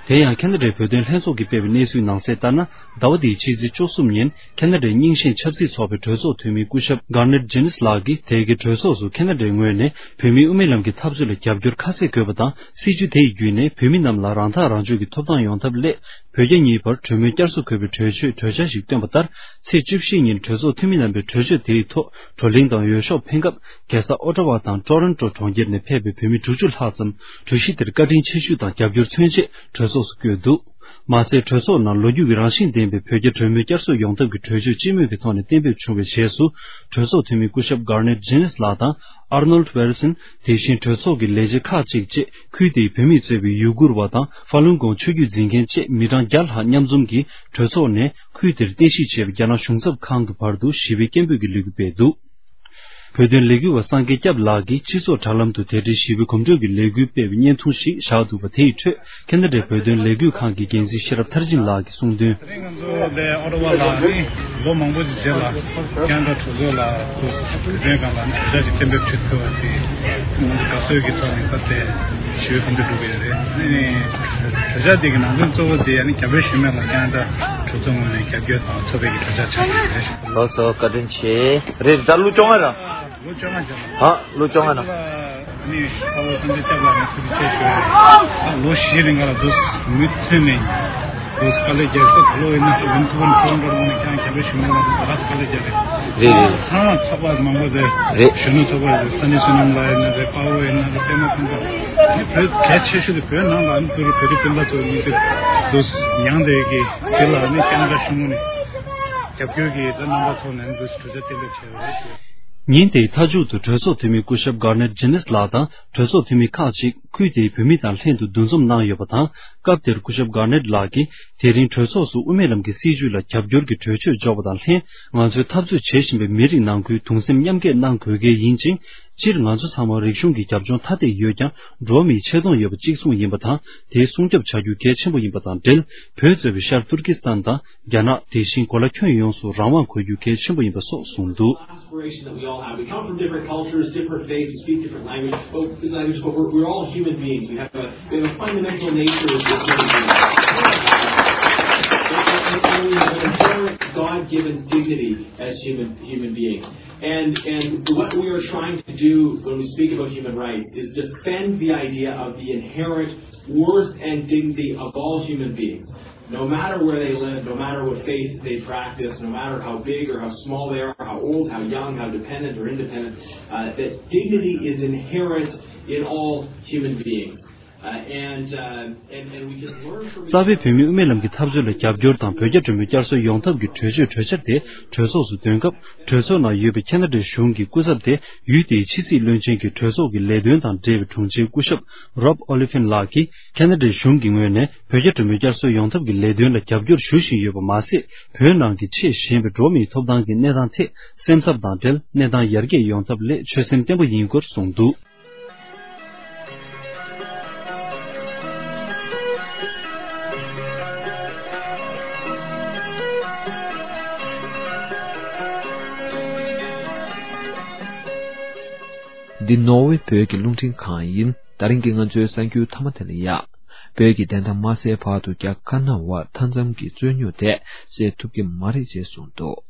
དེ་ཡང་ཁེ་ན་ཌའི་བོད་དོན་ལྷན་ཚོགས་ཀྱིས་སྤེལ་བའི་གནས་ཚུལ་ནང་གསལ་ལྟར་ན། ཟླ་བ་འདིའི་ཕྱི་ཚེས་བཅུ་གསུམ་ཉིན་ཁེ་ན་ཌའི་རྙིང་ཞེན་ཆབ་སྲིད་ཚོགས་པའི་གྲོས་ཚོགས་འཐུས་མི་སྐུ་ཞབས་Garnett Jennings ལགས་ཀྱིས་དེ་གའི་གྲོས་ཚོགས་སུ་ཁེ་ན་ཌའི་ངོས་ནས་བོད་མིའི་དབུ་མའི་ལམ་གྱི་འཐབ་རྩོད་ལ་རྒྱབ་སྐྱོར་ཁ་གསལ་དགོས་པ་དང་། སྲིད་བྱུས་དེ་ཡི་བརྒྱུད་ནས་བོད་མི་རྣམས་ལ་རང་ཐག་རང་གཅོད་ཀྱི་ཐོབ་ཐང་ཡོང་ཐབས་སླད། བོད་རྒྱ་གཉིས་བར་གྲོས་མོལ་བསྐྱར་གསོ་དགོས་པའི་གྲོས་ཆོད་གྲོས་འཆར་ཞིག་བཏོན་པ་ལྟར། ཚེས་བཅུ་བཞི་ཉིན་གྲོས་ཚོགས་འཐུས་མི་རྣམ་པས་གྲོས་ཆོད་དེའི་ཐོག་བགྲོ་གླེང་དང་འོས་ཤོག་འཕེན་སྐབས། རྒྱལ་ས་ཨོ་ཊ་ཝ་དང་ཊོ་རོན་ཊོ་གྲོང་ཁྱེར་ནས་ཕེབས་པའི་བོད་མི་དྲུག་ཅུ་ལྷག་ཙམ་གྲོས་གཞི་དེར་བཀའ་དྲིན་ཆེ་ཞུ་དང་རྒྱབ་སྐྱོར་མཚོན་ཆེད་གྲོས་ཚོགས་སུ་བསྐྱོད་འདུག། མ་ཟད། གྲོས་ཚོགས་ནང་ལོ་རྒྱུས་ཀྱི་རང་བཞིན་ལྡན་པའི་བོད་རྒྱ་གྲོས་མོལ་བསྐྱར་གསོ་ཡོང་ཐབས་ཀྱི་གྲོས་ཆོད་སྤྱི་མོས་ཀྱི་ཐོག་ནས་གཏན་འབེབས་བྱུང་བའི་རྗེས་སུ། གྲོས་ཚོགས་འཐུས་མི་སྐུ་ཞབས་Garnett Jennings ལགས་དང་། Arnold Wilson། དེ་བཞིན་གྲོས་ཚོགས་ཀྱི་ལས་བྱེད་ཁག་ཅིག་བཅས། ཁུལ་དེའི་བོད་མིས་གཙོས་པའི་ཡུ་གུར་བ་དང་། ཧྥ་ལུན་གོང་ཆོས་བརྒྱུད་འཛིན་མཁན་བཅས་མི་གྲངས་བརྒྱ་ལྷག་མཉམ་འཛོམས་ཀྱིས་གྲོས་ཚོགས་ནས་ཁུལ་དེར་རྟེན་གཞི་བྱས་པའི་རྒྱ་ནག་གཞུང་ཚབ་ཁང་གི་བར་དུ་ཞི་བའི་སྐད་འབོད་ཀྱི་ལས་འགུལ་སྤེལ་འདུག། བོད་དོན་ལས་འགུལ་བ་སངས་རྒྱས་སྐྱབས་ལགས་ཀྱིས་སྤྱི་ཚོགས་དྲ་ལམ་དུ་དེ་འབྲེལ་ཞི་བའི་གོམ་བགྲོད་ཀྱི་ལས་འགུལ་སྤེལ་བའི་བརྙན་ཐུང་ཞིག་བཞག་འདུག་པ། དེ་ཡི་ཁྲོད་ཁེ་ན་ཌའི་བོད་དོན་ལས་འགུལ་ཁང་གི་འགན་འཛིན་ཤེས་རབ་མཐར་ཕྱིན་ལགས་ཀྱིས་གསུངས་དོན། ང་ཚོ་ལས་ཨོ་ཊ་ཝ་ལ་ནི་ལོ་མང་པོ་ཞིག་རྗེས་ལ་ཁེ་ན་ཌ་གྲོས་ཚོགས་ལ་ཁོ་བོད་དོན་སྒང་ལ་ནི་གྲོས་འཆར་ཞིག་གཏན་འབེབས་བྱེད་ཐུབ་པ་དེ་ང་ཚོ་དགའ་བསུ་གི་ཐོག་ནས་ད་ལྟའི་ཞི་བའི་གོམ་བགྲོད་འགྲོ་གི་ཡོད་རེད། ཨ་ནི་གྲོས་འཆར་དེ་གི་ནང་དོན་གཙོ་བོ་དེ་ཨ་ནི་རྒྱ་བོད་ཞི་མོལ་ལ་ཁེ་ན་ཌ་གྲོས་ཚོགས་ངོས་ནས་རྒྱབ་སྐྱོར་དང་ཐོབ་པའི་གི་གྲོས་འཆར་ཆགས་ཀྱི་ཡོད་རེད། ལགས་སོ། བཀའ་དྲིན་ཆེ། རེད། ད་ལོ་བཅོ་ལྔ་ར། ལོ་བཅོ་ལྔ་རྗེས་ལ། ཨ། ལོ་བཅོ་ལྔ་ནང་། ཨ་ནི་དཔའ་བོ་སངས་རྒྱས་སྐྱབས་ལགས་ནས་ཐུགས་རྗེ་ཆེ་ཞུ་ཡ་རེད། ཨ། ལོ་བཞིའི་རིང་ལ་འདུག་མུ་མཐུད་ནས་འདུག་དཀའ་ལས་རྒྱག་ཁོ་ད་ལོ་ཡིན་ན་སི་ཝན་ཐུ་ཝན་ཁོ་རང་འགྲོ་རུང་ནས་ཀྱང་རྒྱ་བོད་ཞི་མོལ་ལ་འདུག་ར་དཀའ་ལས་རྒྱག་རེད། རེད་རེད། ཚང་མ་ཚོགས་པ་མང་པོ་དེ། རེད། གཞོན་ནུ་ཚོགས་པ་རེད། ས་གནས་བསོད་ནམས་ལགས་ཡིན་ན་རེད། དཔའ་བོ་ཡིན་ན་རེད། པད་མ་ཁུན་པ། ཨ་ནི་བོད་གལ་ཆེ་ཤོས་དེ་བོད་ནང་ལ་ཨ་ནི་བོད་རིགས་བོད་རིགས་སྤུན་ཟླ་ཚོ་གཉིས་དེ་འདུག་མྱངས་བསྡད་ཀྱི་དེ་ལ་ཨ་ནི་རྒྱ་ནག་གཞུང་ནས་རྒྱབ་སྐྱོར་གྱི་ད་རྣམ་པ་ཐོག་ནས་འདུག་གྲོས་འཆར་གཏན་འབེབས་བྱས་པ་རེད། ཉིན་དེའི་མཐའ་མཇུག་ཏུ་གྲོས་ཚོགས་འཐུས་མི་སྐུ་ཞབས་གར་ནེཊ་ཇེ་ནིས་ལགས་དང་གྲོས་ཚོགས་འཐུས་མི་ཁག་ཅིག་ཁུལ་དེའི་བོད་མི་དང་ལྷན་དུ་འདུ་འཛོམས་གནང་ཡོད་པ་དང་། སྐབས་དེར་སྐུ་ཞབས་གར་ནེཊ་ལགས་ཀྱིས། དེ་རིང་གྲོས་ཚོགས་སུ་དབུ་མའི་ལམ་གྱི་སྲིད་བྱུས་ལ་རྒྱབ་སྐྱོར་གྱི་གྲོས་ཆོད་འཇོག་པ་དང་ལྷན། ང་ཚོས་འཐབ་རྩོད་བྱེད་བཞིན་པའི་མི་རིགས་ནང་ཁུལ་གདུང་སེམས་མཉམ་སྐྱེད་གནང་དགོས་གལ་ཡིན་ཅིང་། སྤྱིར་ང་ཚོ་ཚང་མར་རིག་གཞུང་གི་རྒྱབ་ལྗོངས་ཐ་དད་ཡོད་ཀྱང་། འགྲོ་བ་མིའི་ཆེ་མཐོང་ཡོད་པ་གཅིག་མཚུངས་ཡིན་པ་དང་། དེ་སྲུང་སྐྱོབ་བྱ་རྒྱུ་གལ་ཆེན་པོ་ཡིན་པ་དང་འབྲེལ། བོད་གཙོས་པའི་ཤར་ཏུར་ཀི་སི་ཐན་དང་། རྒྱ་ནག་དེ་བཞིན་གོ་ལ་ཁྱོན་ཡོངས་སུ་རང་དབང་དགོས་རྒྱུ་གལ་ཆེན་པོ་ཡིན་པ་སོགས་གསུངས་འདུག། Aspiration that we all have. We come from different cultures, different faiths, we speak different language, but, language, but we're, we're all human beings. We have a, we have a fundamental nature of human beings. And we have an inherent God-given dignity as human, human beings. And, and what we are trying to do when we speak about human rights is defend the idea of the inherent worth and dignity of all human beings. No matter where they live, no matter what faith they practice, no matter how big or how small they are, how old, how young, how dependent or independent, uh, that dignity is inherent in all human beings. Uh, and, uh, and, and we can learn from each other. རྩ་བའི་བོད་མིའི་དབུ་མའི་ལམ་གྱི་འཐབ་རྩོད་ལ་རྒྱབ་སྐྱོར་དང་བོད་རྒྱ་གྲོས་མོལ་བསྐྱར་གསོ་ཡོང་ཐབས་ཀྱི་གྲོས་ཆོད་གྲོས་འཆར་དེ་གྲོས་ཚོགས་སུ་འདོན་སྐབས། གྲོས་ཚོགས་ནང་ཡོད་པའི་ཁ་ན་ཌའི་གཞུང་གི་སྐུ་ཚབ་དེ་ཡུལ་དེའི་ཕྱི་སྲིད་བློན་ཆེན་གྱི་གྲོས་ཚོགས་ཀྱི་ལས་དོན་དང་འབྲེལ་བའི་དྲུང་ཆེ་སྐུ་ཞབས་རོབ་ཨོ་ལི་ཕིན་ལགས་ཀྱིས་ཁ་ན་ཌའི་གཞུང་གི་ངོས་ནས་བོད་རྒྱ་གྲོས་མོལ་བསྐྱར་གསོ་ཡོང་ཐབས་ཀྱི་ལས་དོན་ལ་རྒྱབ་སྐྱོར་ཞུ་བཞིན་ཡོད་པ་མ་ཟད། བོད་ནང་གི་ཆེས་ཞན་པའི་འགྲོ་བ་མིའི་ཐོབ་ཐང་གི་གནས་སྟངས་ཐད་སེམས་འཚབ་དང་འབྲེལ་གནས་སྟངས་ཡར་རྒྱས་ཡོང་ཐབས་སླད་ཆོད་སེམས་བརྟན་པོ་ཡིན་སྐོར་གསུངས་འདུག། འདི་ནོར་ཝེ་བོད་ཀྱི་རླུང་འཕྲིན་ཁང་ཡིན། ད་རིང་གི་ང་ཚོའི་གསར་འགྱུར་མཐའ་མ་དེ་ལ་ཡ། བོད་ཀྱི་བདེན་མཐའ་མ་གསལ་བར་དུ་རྒྱ་དཀར་ནག་དབར་མཐའ་མཚམས་ཀྱི་རྩོད་རྙོག་དེ་སེལ་ཐུབ་ཀྱི་མ་རེད་ཅེས་གསུངས་འདུག།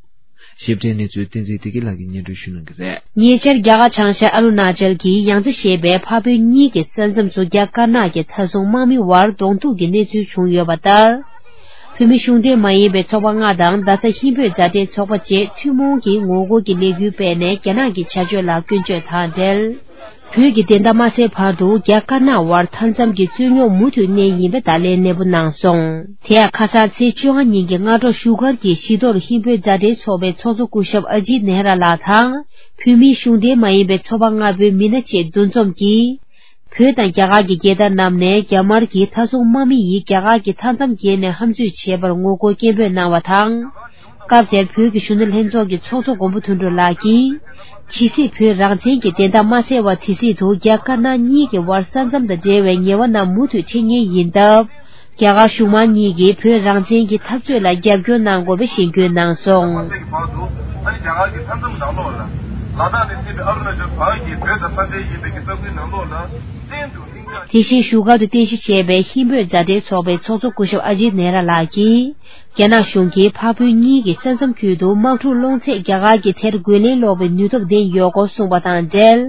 ཞིབ་ཕྲའི་གནས་ཚུལ་བསྟན་འཛིན་བདེ་སྐྱིད་ལགས་ཀྱིས་སྙན་སྒྲོན་ཞུ་གནང་གི་རེད། ཉེ་ཆར་རྒྱ་གར་བྱང་ཤར་ཨ་རུ་ན་ཅལ་གྱི་ཡང་ཙི་ཞེས་པའི་འཕགས་བོད་གཉིས་ཀྱི་ས་མཚམས་སུ་རྒྱ་དཀར་ནག་གི་མཐའ་སྲུང་དམག་མི་དབར་གདོང་ཐུག་གི་གནས་ཚུལ་བྱུང་ཡོད་པ་ལྟར། བོད་མི་གཞུང་འབྲེལ་མ་ཡིན་པའི་ཚོགས་པ་ལྔ་དང་རྡ་ས་ཧིན་བོད་མཛའ་འབྲེལ་ཚོགས་པ་བཅས་ཐུན་མོང་གི་ངོ་རྒོལ་གྱི་ལས་འགུལ་སྤེལ་ནས་རྒྱ་ནག་གི་བྱ་སྤྱོད་ལ་སྐྱོན་བརྗོད་དང་འབྲེལ། བོད་ཀྱི་བདེན་མཐའ་མ་གསལ་བར་དུ་རྒྱ་དཀར་ནག་དབར་མཐའ་མཚམས་ཀྱི་རྩོད་རྙོག་མུ་མཐུད་གནས་ཡིན་པའི་བརྡ་ལན་ནན་པོ་གནང་སོང་། དེ་ཡང་ཁ་སང་ཚེས་བཅོ་ལྔ་ཉིན་གྱི་སྔ་དྲོ་བཞུགས་སྒར་གྱི་བཞི་མདོར་ཧིན་བོད་མཛའ་འབྲེལ་ཚོགས་པའི་ཚོགས་གཙོ་སྐུ་ཞབས་ཨ་ཇིད་ནེ་ར་ལགས་དང་། བོད་མིའི་གཞུང་འབྲེལ་མ་ཡིན་པའི་ཚོགས་པ་ལྔ་པོའི་མི་སྣ་བཅས་འདུ་འཛོམས་ཀྱིས། བོད་དང་རྒྱ་གར་གྱི་རྒྱལ་དར་བསྣམས་ནས་རྒྱ་དམར་གྱི་མཐའ་སྲུང་དམག་མི་ཡིས་རྒྱ་གར་གྱི་མཐའ་མཚམས་བརྒལ་ནས་ཧམ་རྩོད་བྱས་པར་ངོ་རྒོལ་སྐད་འབོད་གནང་བ་དང་། སྐབས་དེར་བོད་ཀྱི་གཞོན་ནུ་ལྷན་ཚོགས་ཀྱི་ཚོགས་གཙོ་མགོན་པོ་དོན་གྲུབ་ལགས་ཀྱིས། ཇི་སྲིད་བོད་རང་བཙན་གྱི་བདེན་མཐའ་མ་གསལ་བ་དེ་སྲིད་དུ་རྒྱ་དཀར་ནག་གཉིས་ཀྱི་དབར་ས་མཚམས་དང་འབྲེལ་བའི་ངལ་བ་རྣམས་མུ་མཐུད་འཕྲད་ངེས་ཡིན་སྟབས། རྒྱ་གར་གཞུང་མང་གཉིས་ཀྱིས་བོད་རང་བཙན་གྱི་འཐབ་རྩོད་ལ་རྒྱབ་སྐྱོར་གནང་དགོས་པའི་ཞེན་སྐུལ་གནང་སོང་། ཨ་ནི་རྒྱ་གར་གྱི་མཐའ་མཚམས་ནང་ལོགས་ལ་ལ་དྭགས་ནས་སྲིད་པའི་ཨ་རུ་ན་ཅལ་བར་གྱི་བོད་དང་ས་འབྲེལ་ཡིན་པའི་གི་ས་ཁུལ་ནང་ལོགས་ལ་བཙན་དུ་ལྷིང་འཇགས། དེ་བཞིན་བཞུགས་སྒར་དུ་རྟེན་གཞི་བྱས་པའི་ཧིན་བོད་མཛའ་འབྲེལ་ཚོགས་པའི་ཚོགས་གཙོ་སྐུ་ཞབས་ཨ་ཇིད་ནེ་ར་ལགས་ཀྱིས། རྒྱ་ནག་གཞུང་གིས་འཕགས་བོད་གཉིས་ཀྱི་ས་མཚམས་ཁུལ་དུ་དམག་འཁྲུག་སློང་ཚེ་རྒྱ་གར་གྱིས་དེར་རྒོལ་ལན་སློག་པའི་ནུས་སྟོབས་ལྡན་ཡོད་སྐོར་གསུངས་པ་དང་འབྲེལ།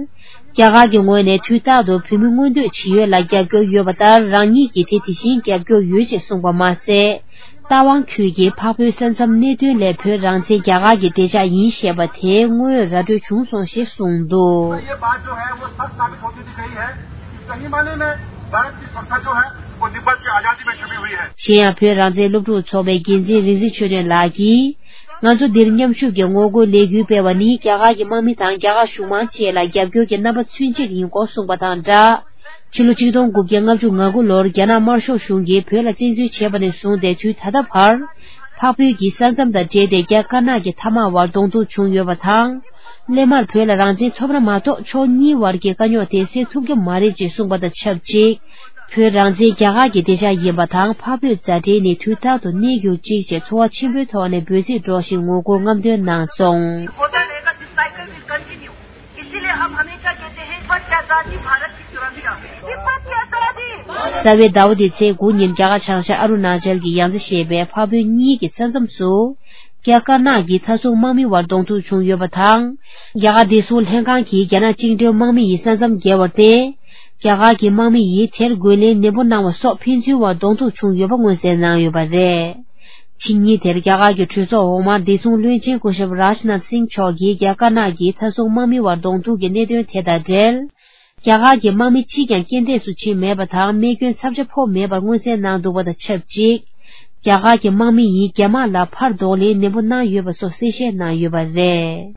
རྒྱ་གར་གྱི་ངོས་ནས་དུས་རྟག་ཏུ་བོད་མི་མངོན་འདོད་ཇི་ཡོད་ལ་རྒྱབ་སྐྱོར་ཡོད་པ་ལྟར་རང་ཉིད་ཀྱིས་དེ་དེ་བཞིན་རྒྱབ་སྐྱོར་ཡོད་ཅེས་གསུངས་པ་མ་ཟད། རྟ་དབང་ཁུལ་གྱི་འཕགས་བོད་ས་མཚམས་གནད་དོན་ལས་བོད་རང་བཙན་རྒྱ་གར་གྱི་བདེ་འཇགས་ཡིན་ཞེས་པ་དེ་དངོས་ཡོད་ར་སྤྲོད་བྱུང་སོང་ཞེས་གསུངས་འདུག། ये बात जो है वो सच साबित होती दिख रही है कि सही माने में भारत की सुरक्षा जो है वो तिब्बत की आजादी में छुपी हुई है। གཞན་ཡང་བོད་རང་བཙན་སློབ་ཕྲུག་ཚོགས་པའི་འགན་འཛིན་རིག་འཛིན་ཆོས་སྒྲོན་ལགས་ཀྱིས། ང་ཚོ་འདིར་མཉམ་ཞུགས་ཀྱིས་ངོ་རྒོལ་ལས་འགུལ་སྤེལ་བ་ནི་རྒྱ་གར་གྱི་དམག་མི་དང་རྒྱ་གར་གཞུང་མང་བཅས་ལ་རྒྱབ་སྐྱོར་གྱི་རྣམ་པ་མཚོན་ཆེད་ཡིན་སྐོར་གསུངས་པ་དང་སྦྲགས། ཕྱི་ལོ་ཆིག་སྟོང་དགུ་བརྒྱ་ལྔ་བཅུ་ང་དགུ་ལོར་རྒྱ་ནག་དམར་ཤོག་གཞུང་གིས་བོད་ལ་བཙན་འཛུལ་བྱས་པ་ནས་བཟུང་སྟེ་དུས་ད་ལྟ་བར། འཕགས་བོད་ཀྱི་ས་མཚམས་དང་འབྲེལ་ཏེ་རྒྱ་དཀར་ནག་གི་མཐའ་དམག་དབར་གདོང་ཐུག་བྱུང་ཡོད་པ་དང་། སླད་མར་བོད་ལ་རང་བཙན་ཐོབ་ན་མ་གཏོགས་ཕྱོགས་གཉིས་དབར་གྱི་དཀའ་རྙོག་དེ་སེལ་ཐུབ་ཀྱི་མ་རེད་ཅེས་གསུངས་པ་དང་ཆབས་ཅིག་བོད་རང་བཙན་རྒྱ་གར་གྱི་བདེ་འཇགས་ཡིན་པ་དང་འཕགས་བོད་མཛའ་འབྲེལ་ནི་དུས་རྟག་ཏུ་གནས་རྒྱུ་གཅིག་ཅེས་ཚོར་བ་ཆེན་པོའི་ཐོག་ནས་འབོད་ཚིག་སྒྲོག་བཞིན་ངོ་རྒོལ་རྔམ་སྟོན་གནང་སོང་། होता रहेगा, this cycle will continue। इसीलिए हम हमेशा कहते हैं, एक बार की आजादी भारत की सुरक्षा। ये बात की आजादी। རྩ་བའི་ཟླ་བ་འདིའི་ཚེས་དགུ་ཉིན་རྒྱ་གར་བྱང་ཤར་ཨ་རུ་ན་ཅལ་གྱི་ཡང་རྩེ་ཞེས་པའི་འཕགས་བོད་གཉིས་ཀྱི་ས་མཚམས་སུ། རྒྱ་དཀར་ནག་གི་མཐའ་སྲུང་དམག་མི་དབར་གདོང་ཐུག་བྱུང་ཡོད་པ་དང་། རྒྱ་གར་བདེ་སྲུང་ལྷན་ཁང་གིས་རྒྱ་ནག་བཅིངས་འགྲོལ་དམག་མི་ཡི་ས་མཚམས་བརྒལ་བར་བརྟེན། རྒྱ་གར་གྱི་དམག་མི་ཡིས་དེར་རྒོལ་ལན་ནན་པོ་གནང་བ་སོགས་ཕན་ཚུན་དབར་གདོང་ཐུག་བྱུང་ཡོད་པ་མངོན་གསལ་གནང་ཡོད་པ་རེད། ཕྱི་ཉིན་དེར་རྒྱ་གར་གྱི་གྲོས་ཚོགས་འོག་མར་བདེ་སྲུང་བློན་ཆེན་སྐུ་ཞབས་རཱཇ་ནཱཐ་སིང་མཆོག་གིས་རྒྱ་དཀར་ནག་གི་མཐའ་སྲུང་དམག་མི་དབར་གདོང་ཐུག་གི་གནད་དོན་དེ་དང་འབྲེལ། རྒྱ་གར་གྱི་དམག་མི་གཅིག་ཀྱང་རྐྱེན་འདས་སུ་ཕྱིན་མེད་པ་དང་རྨས་སྐྱོན་ཚབས་ཆེ་ཕོག་མེད་པར་མངོན་གསལ་གནང་འདུག་པ་དང་ཆབས་ཅིག་རྒྱ་གར་གྱི་དམག་མི་ཡིས་རྒྱ་དམག་ལ་ཕར་གདོང་ལེན་ནན་པོ་གནང་ཡོད་པ་སོགས་གསལ་བཤད་གནང་ཡོད་པ་རེད།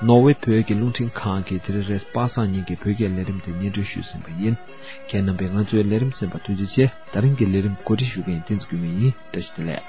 ནོར་ཝེ་བོད་ཀྱི་རླུང་འཕྲིན་ཁང་གིས་དེ་རིང་རེས་གཟའ་པ་སངས་ཉིན་གྱི་བོད་སྐད་ལས་རིམ་དེ་སྙན་སྒྲོན་ཞུས་ཟིན་པ་ཡིན། ཁྱེད་རྣམ་པས་ང་ཚོའི་ལས་རིམ་གསན་པར་ཐུགས་རྗེ་ཆེ། ད་རིང་གི་ལས་རིམ་གོ་སྒྲིག་ཞུ་མཁན་བསྟན་འཛིན་ཀུན་སྨོན་ཡིན། བཀྲ་ཤིས་བདེ་ལེགས།